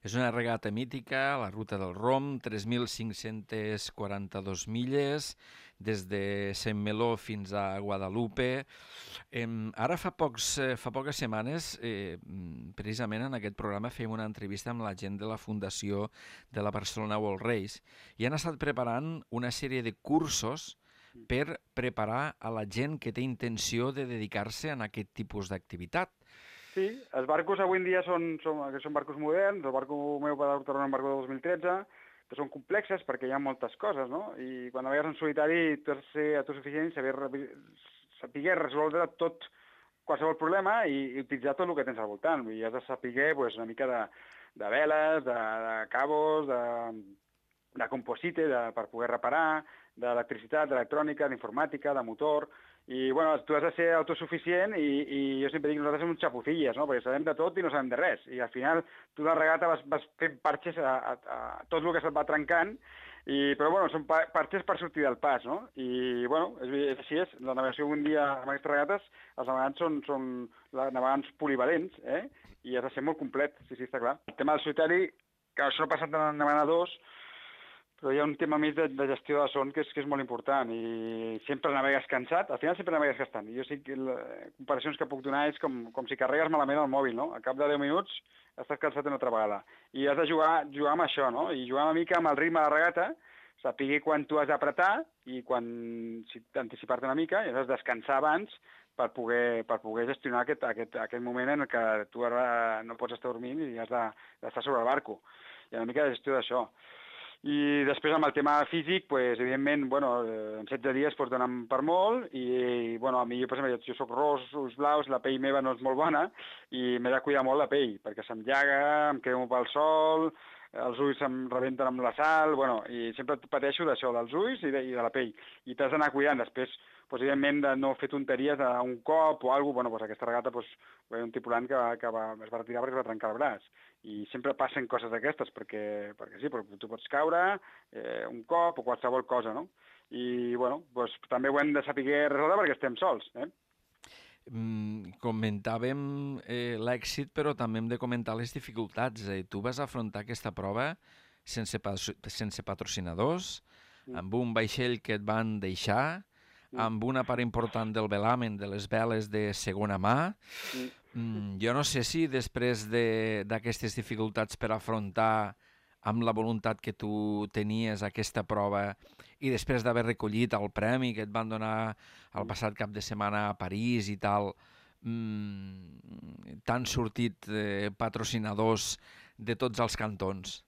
És una regata mítica, la Ruta del Rom, tres mil cinc-centes quaranta-dos milles, des de Saint-Malo fins a Guadalupe. Eh, ara fa, pocs, eh, fa poques setmanes, eh, precisament en aquest programa, fèiem una entrevista amb la gent de la Fundació de la Barcelona World Race i han estat preparant una sèrie de cursos per preparar a la gent que té intenció de dedicar-se a aquest tipus d'activitat. Sí, els barcos avui en dia són, són, són barcos moderns, el barco meu va tornar un barco de dos mil tretze, que són complexes perquè hi ha moltes coses, no? I quan navegues en solitari tu has de ser autosuficient i saber, saber resoldre tot, qualsevol problema i, i utilitzar tot el que tens al voltant. I has de saber pues, una mica de, de veles, de, de cabos, de, de composite de, per poder reparar, d'electricitat, d'electrònica, d'informàtica, de motor. I, bueno, tu has de ser autosuficient i, i jo sempre dic que nosaltres som uns xapufilles, no? Perquè sabem de tot i no sabem de res. I al final tu de la regata vas, vas fent parxes a, a, a tot el que se't va trencant, i, però bueno, són parxes per sortir del pas, no? I bueno, és, és així és. La navegació un dia amb aquestes regates, els navegants són, són navegants polivalents, eh? I has de ser molt complet, sí, sí, està clar. El tema del solitari, que això no ha passat en navegadors, però hi ha un tema més de, de gestió de son que és, que és molt important i sempre navegues cansat, al final sempre navegues gastant. I jo sí que les comparacions que puc donar és com, com si carregues malament el mòbil, no? A cap de deu minuts estàs cansat una altra vegada. I has de jugar, jugar amb això, no? I jugar una mica amb el ritme de la regata, saber quan tu has d'apretar i quan si, anticipar-te una mica i has de descansar abans per poder, per poder gestionar aquest, aquest, aquest moment en què tu ara no pots estar dormint i has d'estar sobre el barco. Hi ha una mica de gestió d'això. I després amb el tema físic, pues, evidentment, bueno, en setze dies pues, donen per molt i, i bueno, a mi, per exemple, jo soc ros, ulls blaus, la pell meva no és molt bona i m'he de cuidar molt la pell, perquè se'm llaga, em quedo pel sol, els ulls se'm rebenten amb la sal, bueno, i sempre pateixo d'això, dels ulls i de, i de la pell. I t'has d'anar cuidant després, pues, evidentment, de no fer tonteries d'un cop o alguna cosa, bueno, pues, aquesta regata, pues, hi ha un tripulant que, va, que va, es va retirar perquè es va trencar el braç. I sempre passen coses d'aquestes, perquè, perquè sí, perquè tu pots caure eh, un cop o qualsevol cosa, no? I, bueno, pues, també ho hem de saber resoldre perquè estem sols, eh? Mm, comentàvem eh, l'èxit, però també hem de comentar les dificultats. Eh? Tu vas afrontar aquesta prova sense, pa sense patrocinadors, mm. amb un vaixell que et van deixar, mm. amb una part important del velamen de les veles de segona mà. Mm. Mm, jo no sé si després d'aquestes de, dificultats per afrontar amb la voluntat que tu tenies aquesta prova i després d'haver recollit el premi que et van donar el passat cap de setmana a París i tal, mmm, t'han sortit eh, patrocinadors de tots els cantons?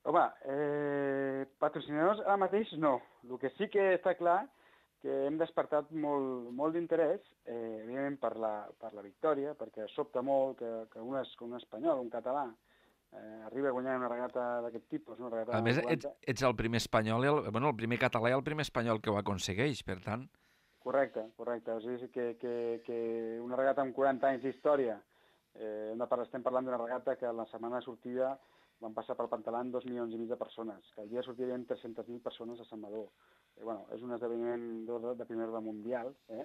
Home, eh, patrocinadors ara mateix no. El que sí que està clar que hem despertat molt, molt d'interès, eh, evidentment per la, per la victòria, perquè sobta molt que, que un, es, que un espanyol, un català, eh, arriba a guanyar una regata d'aquest tipus. Una regata a més, ets, ets el primer espanyol, el, bueno, el primer català i el primer espanyol que ho aconsegueix, per tant. Correcte, correcte. O sigui que, que, que una regata amb quaranta anys d'història, eh, estem parlant d'una regata que la setmana de sortida van passar pel Pantalan dos milions i mig de persones, que el dia sortirien tres-centes mil persones a Sant Madó. Eh, bueno, és un esdeveniment de, de primer ordre mundial, eh?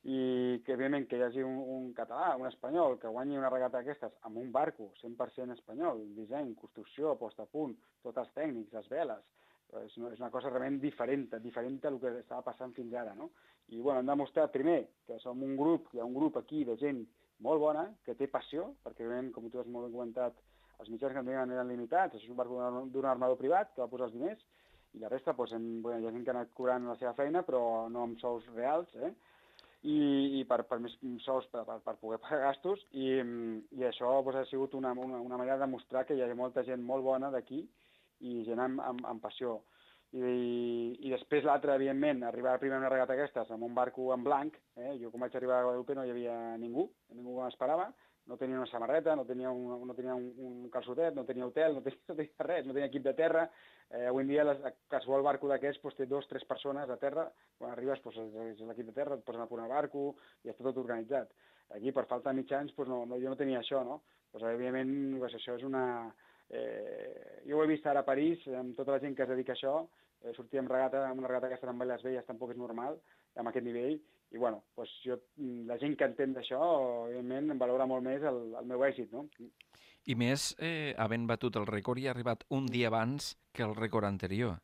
I que, evidentment, que hi hagi un, un català, un espanyol, que guanyi una regata d'aquestes amb un barco cent per cent espanyol, disseny, construcció, posta a punt, tots els tècnics, les veles, és una, és una cosa realment diferent, diferent del que estava passant fins ara, no? I, bueno, hem demostrat, primer, que som un grup, hi ha un grup aquí de gent molt bona, que té passió, perquè, evidentment, com tu has molt ben comentat, els mitjans que en tenien eren limitats, això és un barco d'un armador privat que va posar els diners, i la resta, doncs, hem, bueno, hi ha gent que ha anat cobrant la seva feina, però no amb sous reals, eh? I, i per, per més sous per, per, per poder pagar gastos, i, i això doncs, ha sigut una, una, una manera de mostrar que hi ha molta gent molt bona d'aquí i gent amb, amb, amb passió. I, i, i després l'altre, evidentment, arribar primer a una regata aquestes amb un barco en blanc, eh? Jo quan vaig arribar a Guadalupe no hi havia ningú, ningú que m'esperava, no tenia una samarreta, no tenia un, no tenia un, un calçotet, no tenia hotel, no tenia, no tenia res, no tenia equip de terra. Eh, avui en dia les, qualsevol barco d'aquests pues, té dos, tres persones a terra. Quan arribes pues, és l'equip de terra, et posen a posar barco i està tot organitzat. Aquí, per falta de mitjans, doncs no, no, jo no tenia això, no? Pues, evidentment, pues, això és una... Eh, jo ho he vist ara a París, amb tota la gent que es dedica a això, eh, sortir amb, regata, amb una regata aquesta amb Vallès Velles tampoc és normal, amb aquest nivell, i bueno, pues, jo, la gent que entén d'això, evidentment, em valora molt més el, el meu èxit, no? I més, eh, havent batut el rècord i ha arribat un dia abans que el rècord anterior.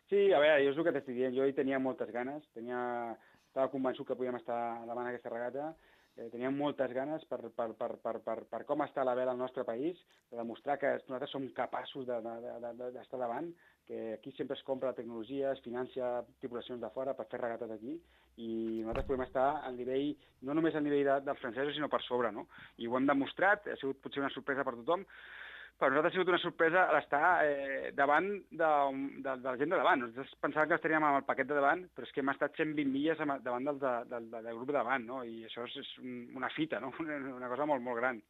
Sí, a veure, jo és el que t'estic dient, jo hi tenia moltes ganes, tenia... estava convençut que podíem estar davant aquesta regata, eh, teníem moltes ganes per, per, per, per, per, per com està la vela al nostre país, de demostrar que nosaltres som capaços d'estar de, de, de, de, davant, que aquí sempre es compra tecnologia, es financia tripulacions de fora per fer regates aquí, i nosaltres podem estar al nivell, no només al nivell de, dels francesos, sinó per sobre, no? I ho hem demostrat, ha sigut potser una sorpresa per tothom, per nosaltres ha sigut una sorpresa l'estar eh, davant de, de, de la gent de davant. Nosaltres pensàvem que estaríem amb el paquet de davant, però és que hem estat cent vint milles davant del, del, del, del grup de davant, no? I això és, és una fita, no? Una cosa molt, molt gran.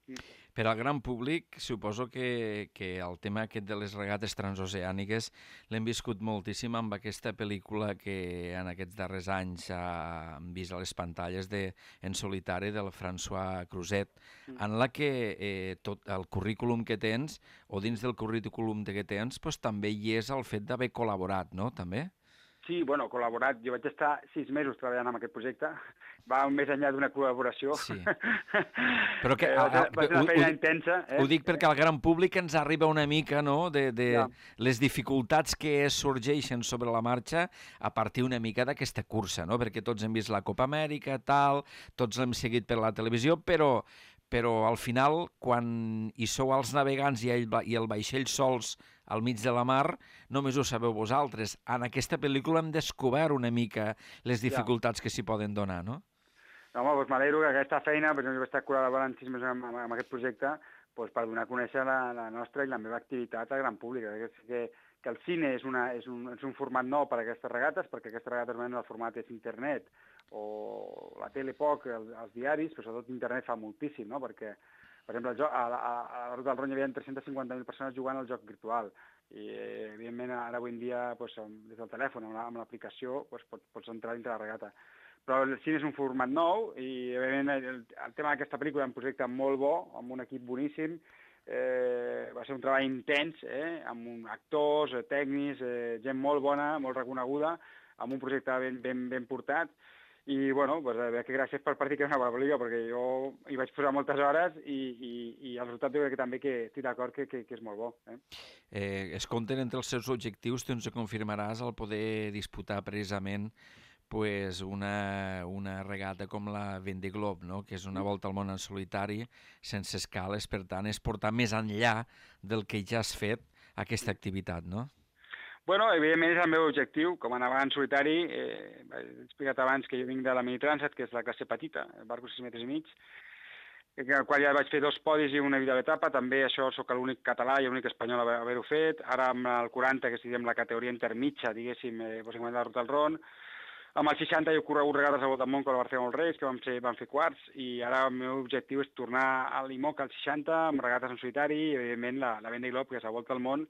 Per al gran públic, suposo que, que el tema aquest de les regates transoceàniques l'hem viscut moltíssim amb aquesta pel·lícula que en aquests darrers anys hem vist a les pantalles de En solitari del François Cruzet, en la que eh, tot el currículum que tens, o dins del currículum que tens, doncs, també hi és el fet d'haver col·laborat, no?, també? Sí, bueno, col·laborat. Jo vaig estar sis mesos treballant en aquest projecte. Va més enllà d'una col·laboració. Sí. Però que, va, ser, va ser una feina ho, intensa. Eh? Ho dic perquè al gran públic ens arriba una mica, no?, de, de ja. les dificultats que sorgeixen sobre la marxa a partir una mica d'aquesta cursa, no?, perquè tots hem vist la Copa Amèrica, tal, tots l'hem seguit per la televisió, però... però al final, quan hi sou els navegants i el, i el vaixell sols al mig de la mar, només ho sabeu vosaltres. En aquesta pel·lícula hem descobert una mica les dificultats ja. que s'hi poden donar, no? No, home, doncs m'alegro que aquesta feina, doncs jo vaig estar col·laborant sis mesos amb, amb aquest projecte, doncs per donar a conèixer la, la nostra i la meva activitat al gran públic. Que, que el cine és, una, és, un, és un format nou per a aquestes regates, perquè aquestes regates el format és internet, o la tele poc, els, els diaris, però sobretot internet fa moltíssim, no? Perquè, per exemple, el joc, a, a, a la Ruta del Ron hi havia tres-centes cinquanta mil persones jugant al joc virtual, i eh, evidentment ara avui en dia doncs, des del telèfon, amb l'aplicació, doncs, pots, pots entrar dintre la regata. Però el cine és un format nou i evidentment el, el tema d'aquesta pel·lícula és un projecte molt bo, amb un equip boníssim, eh, va ser un treball intens, eh, amb un, actors, eh, tècnics, eh, gent molt bona, molt reconeguda, amb un projecte ben, ben, ben portat. I, bueno, pues, a veure, que gràcies per partir que és una bona pel·lícula, perquè jo hi vaig posar moltes hores i, i, i el resultat jo crec que també que estic d'acord que, que, que és molt bo. Eh? Eh, es compten entre els seus objectius, tu ens confirmaràs el poder disputar precisament pues, una, una regata com la Vendée Globe, no? Que és una volta al món en solitari, sense escales, per tant, és portar més enllà del que ja has fet aquesta activitat, no? Bueno, evidentment és el meu objectiu, com a navegant solitari, eh, he explicat abans que jo vinc de la Minitransat, que és la classe petita, el barco sis metres i mig, en el qual ja vaig fer dos podis i una vida d'etapa, també això sóc l'únic català i l'únic espanyol a haver-ho fet, ara amb el quaranta, que és diguem, la categoria intermitja, diguéssim, eh, doncs hem la Ruta del Ron, amb el seixanta he corregut regates a Volta al Món com la Barcelona dels Reis, que vam fer, vam fer quarts, i ara el meu objectiu és tornar a l'I M O C al seixanta, amb regates en solitari, i evidentment la, la Vendée Globe, que és la Volta al Món,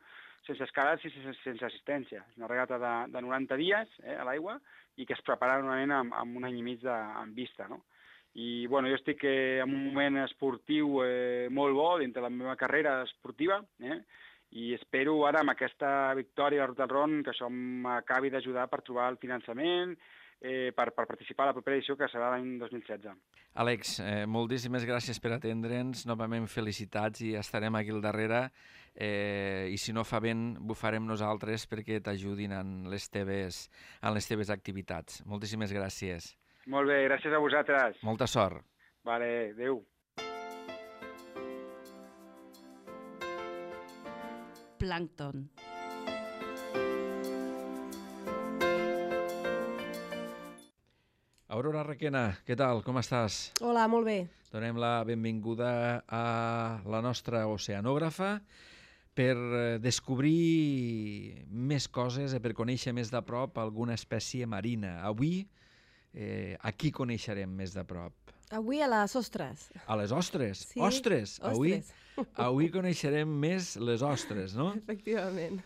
sense escales i sense, sense assistència. És una regata de, de noranta dies eh, a l'aigua i que es prepara normalment amb, amb un any i mig de, en vista, no? I bueno, jo estic eh, en un moment esportiu eh, molt bo dintre la meva carrera esportiva, eh? I espero ara amb aquesta victòria de la Ruta del Ron que això m'acabi d'ajudar per trobar el finançament, eh, per, per participar a la propera edició que serà l'any dos mil setze. Àlex, eh, moltíssimes gràcies per atendre'ns, novament felicitats i estarem aquí al darrere eh, i si no fa vent ho farem nosaltres perquè t'ajudin en les teves, en les teves activitats. Moltíssimes gràcies. Molt bé, gràcies a vosaltres. Molta sort. Vale, adéu. Plàncton. Aurora Requena, què tal? Com estàs? Hola, molt bé. Donem la benvinguda a la nostra oceanògrafa per descobrir més coses i per conèixer més de prop alguna espècie marina. Avui, eh, a qui coneixerem més de prop? Avui a les ostres. A les ostres? Sí, ostres! ostres. Avui, avui coneixerem més les ostres, no? Efectivament.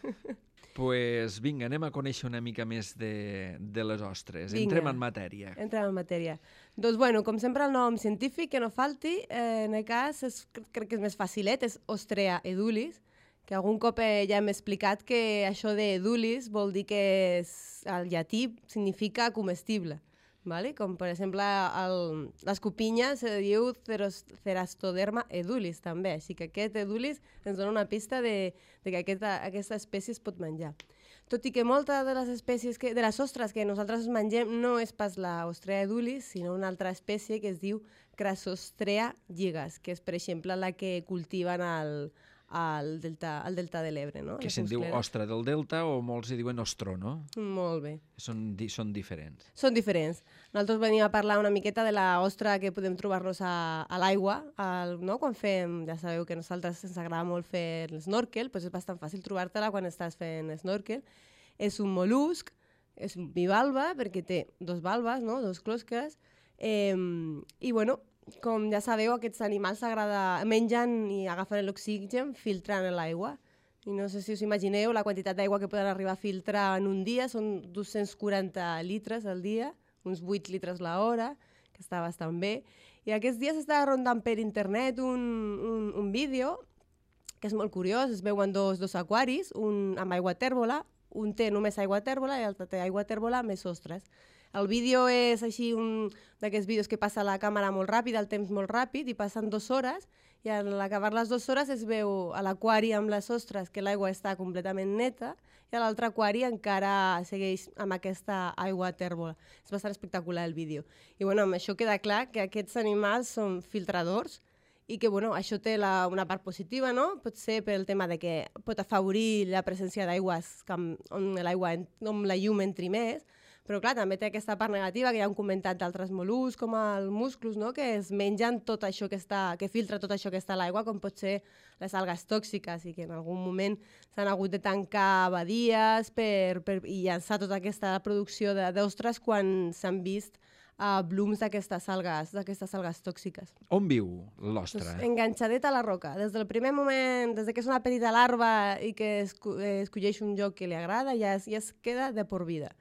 Pues vinga, anem a conèixer una mica més de, de les ostres. Vinga. Entrem en matèria. Entrem en matèria. Doncs, bueno, com sempre, el nom científic, que no falti, eh, en el cas, és, crec que és més facilet, és Ostrea edulis, que algun cop eh, ja hem explicat que això de edulis vol dir que és, el llatí significa comestible. Vale? Com, per exemple, el, l'escopinya se diu ceros, Cerastoderma edulis, també. Així que aquest edulis ens dona una pista de, de que aquesta, aquesta espècie es pot menjar. Tot i que moltes de les espècies, que, de les ostres que nosaltres mengem no és pas la Ostrea edulis, sinó una altra espècie que es diu Crassostrea gigas, que és, per exemple, la que cultiven al, al, delta, al delta de l'Ebre. No? Que se'n diu ostra del delta o molts hi diuen ostró, no? Molt bé. Són, di, són diferents. Són diferents. Nosaltres venim a parlar una miqueta de la ostra que podem trobar-nos a, a l'aigua, al, no? Quan fem, ja sabeu que a nosaltres ens agrada molt fer l'snorkel, doncs és bastant fàcil trobar-te-la quan estàs fent snorkel. És un mol·lusc, és un bivalva, perquè té dos valves, no? Dos closques, eh, i bueno, com ja sabeu, aquests animals agrada, mengen i agafen l'oxigen filtrant l'aigua. I no sé si us imagineu la quantitat d'aigua que poden arribar a filtrar en un dia, són dos-cents quaranta litres al dia, uns vuit litres l'hora, que està bastant bé. I aquests dies està rondant per internet un, un, un vídeo que és molt curiós, es veuen dos, dos aquaris, un amb aigua tèrbola, un té només aigua tèrbola i l'altre té aigua tèrbola més ostres. El vídeo és així un d'aquests vídeos que passa la càmera molt ràpid, el temps molt ràpid, i passen dues hores, i a l'acabar les dues hores es veu a l'aquari amb les ostres que l'aigua està completament neta, i a l'altre aquari encara segueix amb aquesta aigua tèrbola. És bastant espectacular el vídeo. I bueno, amb això queda clar que aquests animals són filtradors, i que bueno, això té la, una part positiva, no? Pot ser pel tema de que pot afavorir la presència d'aigües on l'aigua, on la llum entri més, però clar, també té aquesta part negativa que ja hem comentat d'altres mol·luscs, com els musclos, no? Que es mengen tot això que està, que filtra tot això que està a l'aigua, com pot ser les algues tòxiques, i que en algun moment s'han hagut de tancar badies per, per, i llançar tota aquesta producció d'ostres quan s'han vist uh, blooms d'aquestes algues, d'aquestes algues tòxiques. On viu l'ostra? Pues, enganxadet a la roca. Des del primer moment, des que és una petita larva i que esco escolleix un lloc que li agrada, ja es, ja es queda de por vida.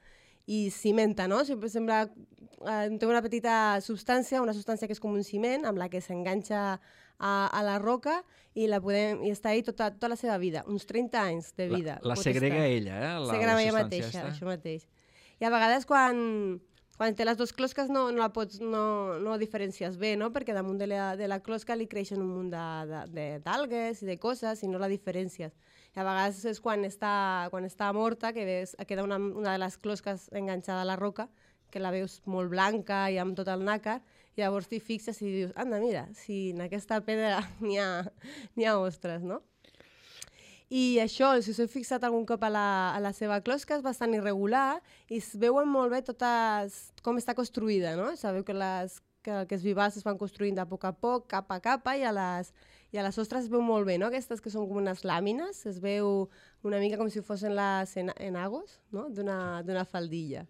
I cimenta, no? Sempre sembla, eh, té una petita substància, una substància que és com un ciment, amb la que s'enganxa a, a la roca i, la podem, i està ahí tota, tota la seva vida, uns trenta anys de vida. La, la segrega estar. ella, eh? La, segrega la ella mateixa, està. Això mateix. I a vegades quan, quan té les dues closques no, no la pots, no, no diferencies bé, no? Perquè damunt de la, de la closca li creixen un munt d'algues i de coses i no la diferencies. I a vegades és quan està, quan està morta, que ves, queda una, una de les closques enganxada a la roca, que la veus molt blanca i amb tot el nàcar, i llavors t'hi fixes i dius, anda, mira, si en aquesta pedra n'hi ha, n'hi ha ostres, no? I això, si us heu fixat algun cop a la, a la seva closca, és bastant irregular i es veuen molt bé totes com està construïda, no? Sabeu que les que aquests vivals es van construint de poc a poc, capa a capa, i a les, i a les ostres es veu molt bé, no? Aquestes que són com unes làmines, es veu una mica com si fossin les enagos, no? D'una faldilla.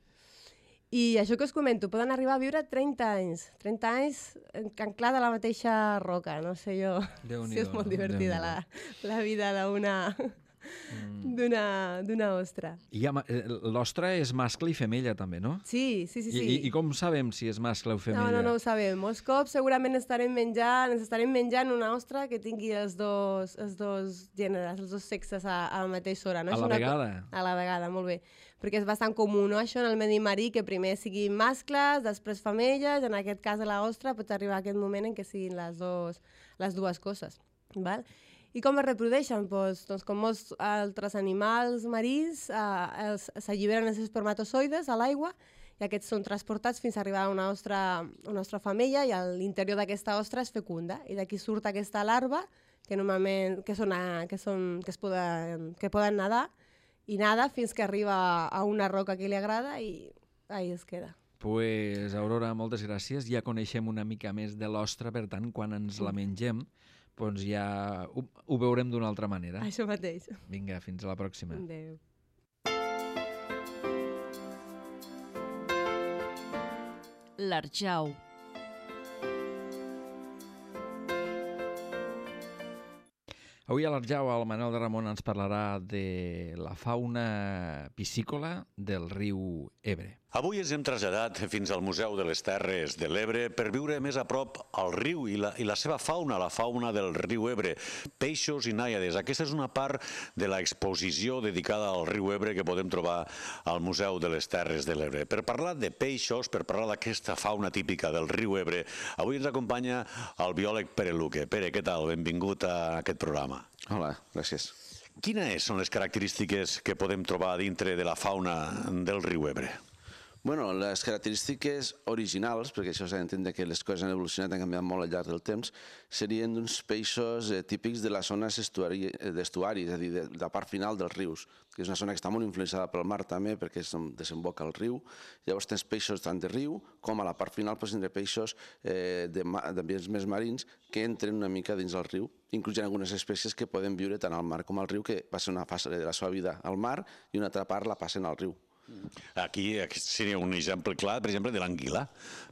I això que us comento, poden arribar a viure trenta anys, trenta anys anclada a la mateixa roca, no sé jo si és molt divertida la, la vida d'una d'una ostra. I l'ostra és mascle i femella també, no? Sí, sí, sí. sí. I, I com sabem si és mascle o femella? No, no, no ho sabem. Molts cops segurament estarem menjant, ens estarem menjant una ostra que tingui els dos, els dos gèneres, els dos sexes a, a la mateixa hora. No? A la vegada? A la vegada, molt bé. Perquè és bastant comú, no?, això en el medi marí, que primer siguin mascles, després femelles, en aquest cas de l'ostra pot arribar a aquest moment en què siguin les, dos, les dues coses. Val? I com es reprodueixen? Pues, doncs, com molts altres animals marins, eh, s'alliberen els espermatozoides a l'aigua i aquests són transportats fins a arribar a una ostra, una ostra femella, i a l'interior d'aquesta ostra es fecunda. I d'aquí surt aquesta larva, que normalment que són, que són, que es poden, que poden nedar, i nada fins que arriba a una roca que li agrada i ahí es queda. Pues, Aurora, moltes gràcies. Ja coneixem una mica més de l'ostra, per tant, quan ens la mengem, doncs ja ho, ho veurem d'una altra manera. Això mateix. Vinga, fins a la pròxima. Adéu. L'Arjau. Avui a l'Arjau el Manel de Ramon ens parlarà de la fauna piscícola del riu Ebre. Avui ens hem traslladat fins al Museu de les Terres de l'Ebre per viure més a prop el riu i la, i la seva fauna, la fauna del riu Ebre, peixos i nàiades. Aquesta és una part de l'exposició dedicada al riu Ebre que podem trobar al Museu de les Terres de l'Ebre. Per parlar de peixos, per parlar d'aquesta fauna típica del riu Ebre, avui ens acompanya el biòleg Pere Luque. Pere, què tal? Benvingut a aquest programa. Hola, gràcies. Quines són les característiques que podem trobar dintre de la fauna del riu Ebre? Bueno, les característiques originals, perquè això s'ha d'entendre que les coses han evolucionat, han canviat molt al llarg del temps, serien uns peixos eh, típics de les zones d'estuari, és a dir, de, de la part final dels rius, que és una zona que està molt influenciada pel mar també, perquè es desemboca al riu. Llavors tens peixos tant de riu com a la part final pots tindre peixos eh, d'ambients més marins que entren una mica dins del riu. Inclús hi ha algunes espècies que poden viure tant al mar com al riu, que passen una fase de la seva vida al mar i una altra part la passen al riu. Aquí seria un exemple clar, per exemple, de l'anguila.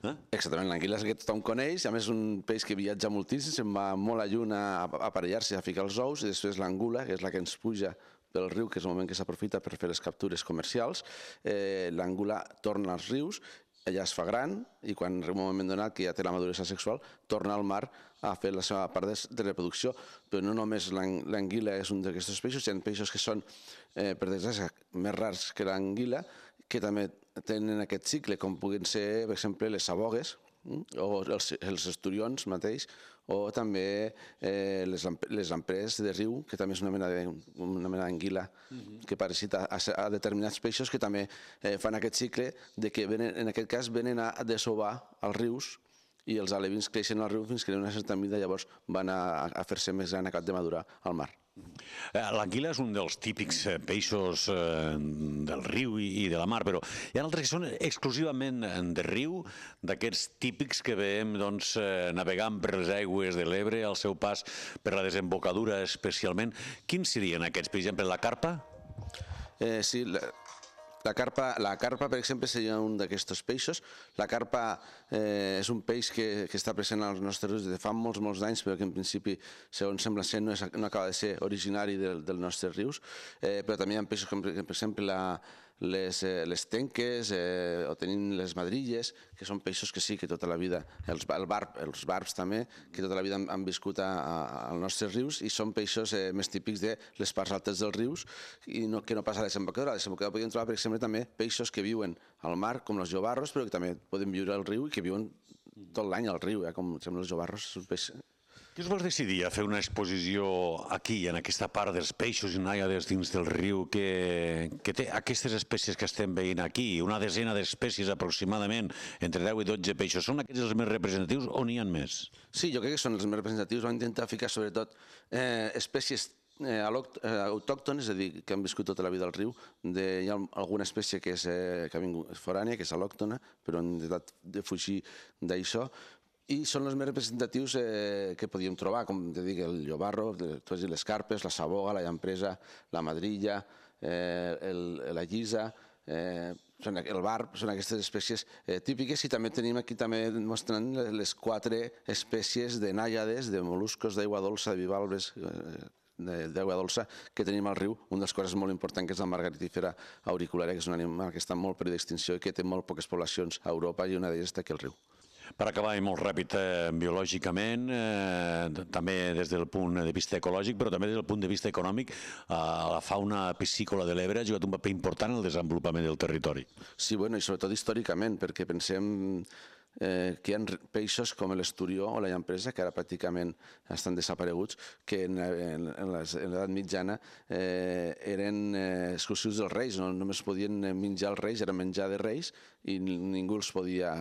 Eh? Exactament, l'anguila és el que tothom coneix, a més és un peix que viatja moltíssim, se'n va molt a lluny a aparellar-se, a ficar els ous, i després l'angula, que és la que ens puja pel riu, que és el moment que s'aprofita per fer les captures comercials. Eh, l'angula torna als rius, allà es fa gran i quan en un moment donat que ja té la maduresa sexual torna al mar a fer la seva part de reproducció. Però no només l'anguila és un d'aquests peixos, hi ha peixos que són, eh, per desgràcia, més rars que l'anguila, que també tenen aquest cicle, com puguin ser, per exemple, les sabogues, o els, els esturions mateix, o també eh, les, les lamprees de riu, que també és una mena d'anguila que parasita a, a determinats peixos que també eh, fan aquest cicle de que venen, en aquest cas venen a desovar als rius i els alevins creixen al riu fins que en una certa mida llavors van a, a fer-se més gran a cap de madurar al mar. L'anguila és un dels típics peixos del riu i de la mar, però hi ha altres que són exclusivament de riu, d'aquests típics que veiem navegant per les aigües de l'Ebre al seu pas per la desembocadura especialment. Quins serien aquests? Per exemple, la carpa? Eh, sí, la... La carpa, la carpa, per exemple, seria un d'aquests peixos. La carpa eh, és un peix que, que està present als nostres rius des de fa molts, molts anys, però que en principi, segons sembla ser, no, és, no acaba de ser originari del, dels nostres rius. Eh, però també hi ha peixos com, per exemple, la, les, eh, les tenques eh, o tenim les madrilles, que són peixos que sí, que tota la vida, els, el barb, els barbs també, que tota la vida han, han viscut a, a, als nostres rius i són peixos eh, més típics de les parts altes dels rius i no, que no passa a la desembocadura. A la desembocadura podríem trobar, per exemple, també peixos que viuen al mar, com els llobarros, però que també poden viure al riu i que viuen tot l'any al riu, eh, com sembla els llobarros. És un peix... Què us vols decidir a fer una exposició aquí, en aquesta part dels peixos i nàiades dins del riu, que, que té aquestes espècies que estem veient aquí, una desena d'espècies aproximadament, entre deu i dotze peixos, són aquests els més representatius o n'hi ha més? Sí, jo crec que són els més representatius. Vam intentar ficar sobretot eh, espècies eh, autòctones, és a dir, que han viscut tota la vida al riu. De, hi ha alguna espècie que, és, eh, que ha vingut forània, que és alòctona, però hem intentat de fugir d'això. I són els més representatius eh, que podíem trobar, com te dic, el llobarro, les carpes, la saboga, la llampresa, la madrilla, eh, el, la llisa, eh, el barb, són aquestes espècies eh, típiques i també tenim aquí també mostrant les quatre espècies de nàiades, de mol·luscos d'aigua dolça, de bivalves, eh, d'aigua dolça que tenim al riu. Un dels coses molt importants que és la margaritífera auriculària, que és un animal que està molt en perill d'extinció i que té molt poques poblacions a Europa i una d'elles està aquí al riu. Per acabar, i molt ràpid eh, biològicament, eh, també des del punt de vista ecològic, però també des del punt de vista econòmic, eh, la fauna piscícola de l'Ebre ha jugat un paper important en el desenvolupament del territori. Sí, bueno, i sobretot històricament, perquè pensem eh, que hi ha peixos com l'esturió o la llampresa, que ara pràcticament estan desapareguts, que en, en, en l'edat mitjana eh, eren eh, exclusius dels reis, no només podien menjar els reis, era menjar de reis, i ningú els podia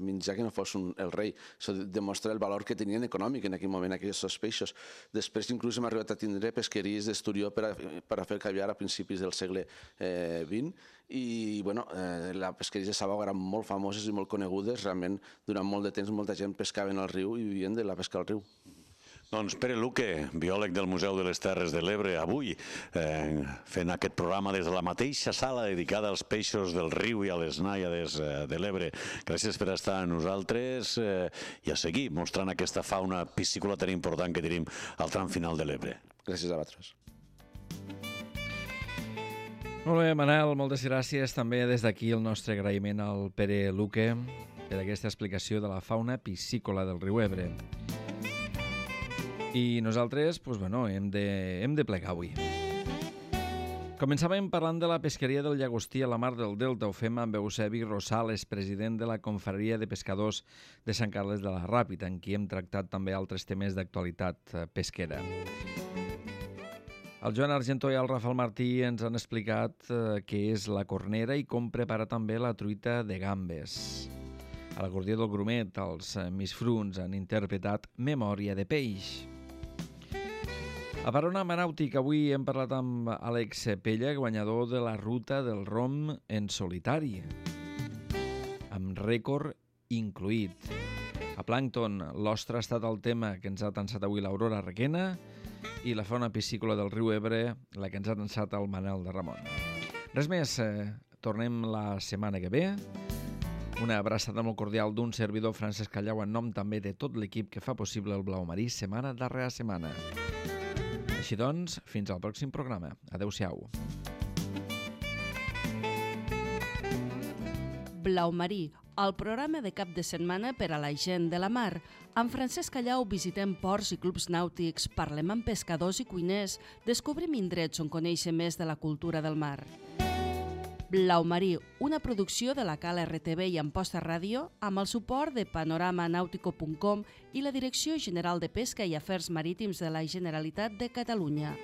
menjar que no fos un, el rei. Això demostra el valor que tenien econòmic en aquell moment aquests peixos. Després inclús hem arribat a tindre pesqueries d'esturió per a, per a fer caviar a principis del segle eh, vint i bueno, eh, les pesqueries de saboga eren molt famoses i molt conegudes. Realment durant molt de temps molta gent pescava al riu i vivien de la pesca al riu. Doncs Pere Luque, biòleg del Museu de les Terres de l'Ebre, avui eh, fent aquest programa des de la mateixa sala dedicada als peixos del riu i a les nàiades eh, de l'Ebre. Gràcies per estar amb nosaltres eh, i a seguir mostrant aquesta fauna piscícola tan important que tenim al tram final de l'Ebre. Gràcies a vosaltres. Molt bé, Manel, moltes gràcies. També des d'aquí el nostre agraïment al Pere Luque per aquesta explicació de la fauna piscícola del riu Ebre. I nosaltres, doncs, bueno, hem de, hem de plegar avui. Començàvem parlant de la pesqueria del llagostí a la mar del Delta. Ho fem amb Eusebi Rosales, president de la Confraria de Pescadors de Sant Carles de la Ràpita, en qui hem tractat també altres temes d'actualitat pesquera. El Joan Argentó i el Rafael Martí ens han explicat eh, què és la cornera i com preparar també la truita de gambes. A l'acordió del Grumet, els misfruns han interpretat Memòria de peix. A Panorama Nàutic avui hem parlat amb Àlex Pella, guanyador de la ruta del rom en solitari, amb rècord incluït. A Plàncton, l'ostra ha estat el tema que ens ha tensat avui l'Aurora Requena i la fauna piscícola del riu Ebre, la que ens ha tensat el Manel de Ramon. Res més, eh, tornem la setmana que ve. Una abraçada molt cordial d'un servidor, Francesc Callau, en nom també de tot l'equip que fa possible el Blau Marí setmana darrere setmana. Així doncs, fins al pròxim programa. Adéu-siau. Blau Marí, el programa de cap de setmana per a la gent de la mar. Amb Francesc Callau visitem ports i clubs nàutics, parlem amb pescadors i cuiners, descobrim indrets on conèixer més de la cultura del mar. Blau Marí, una producció de la Cala R T V i Amposta Ràdio amb el suport de panorama nàutico punt com i la Direcció General de Pesca i Afers Marítims de la Generalitat de Catalunya.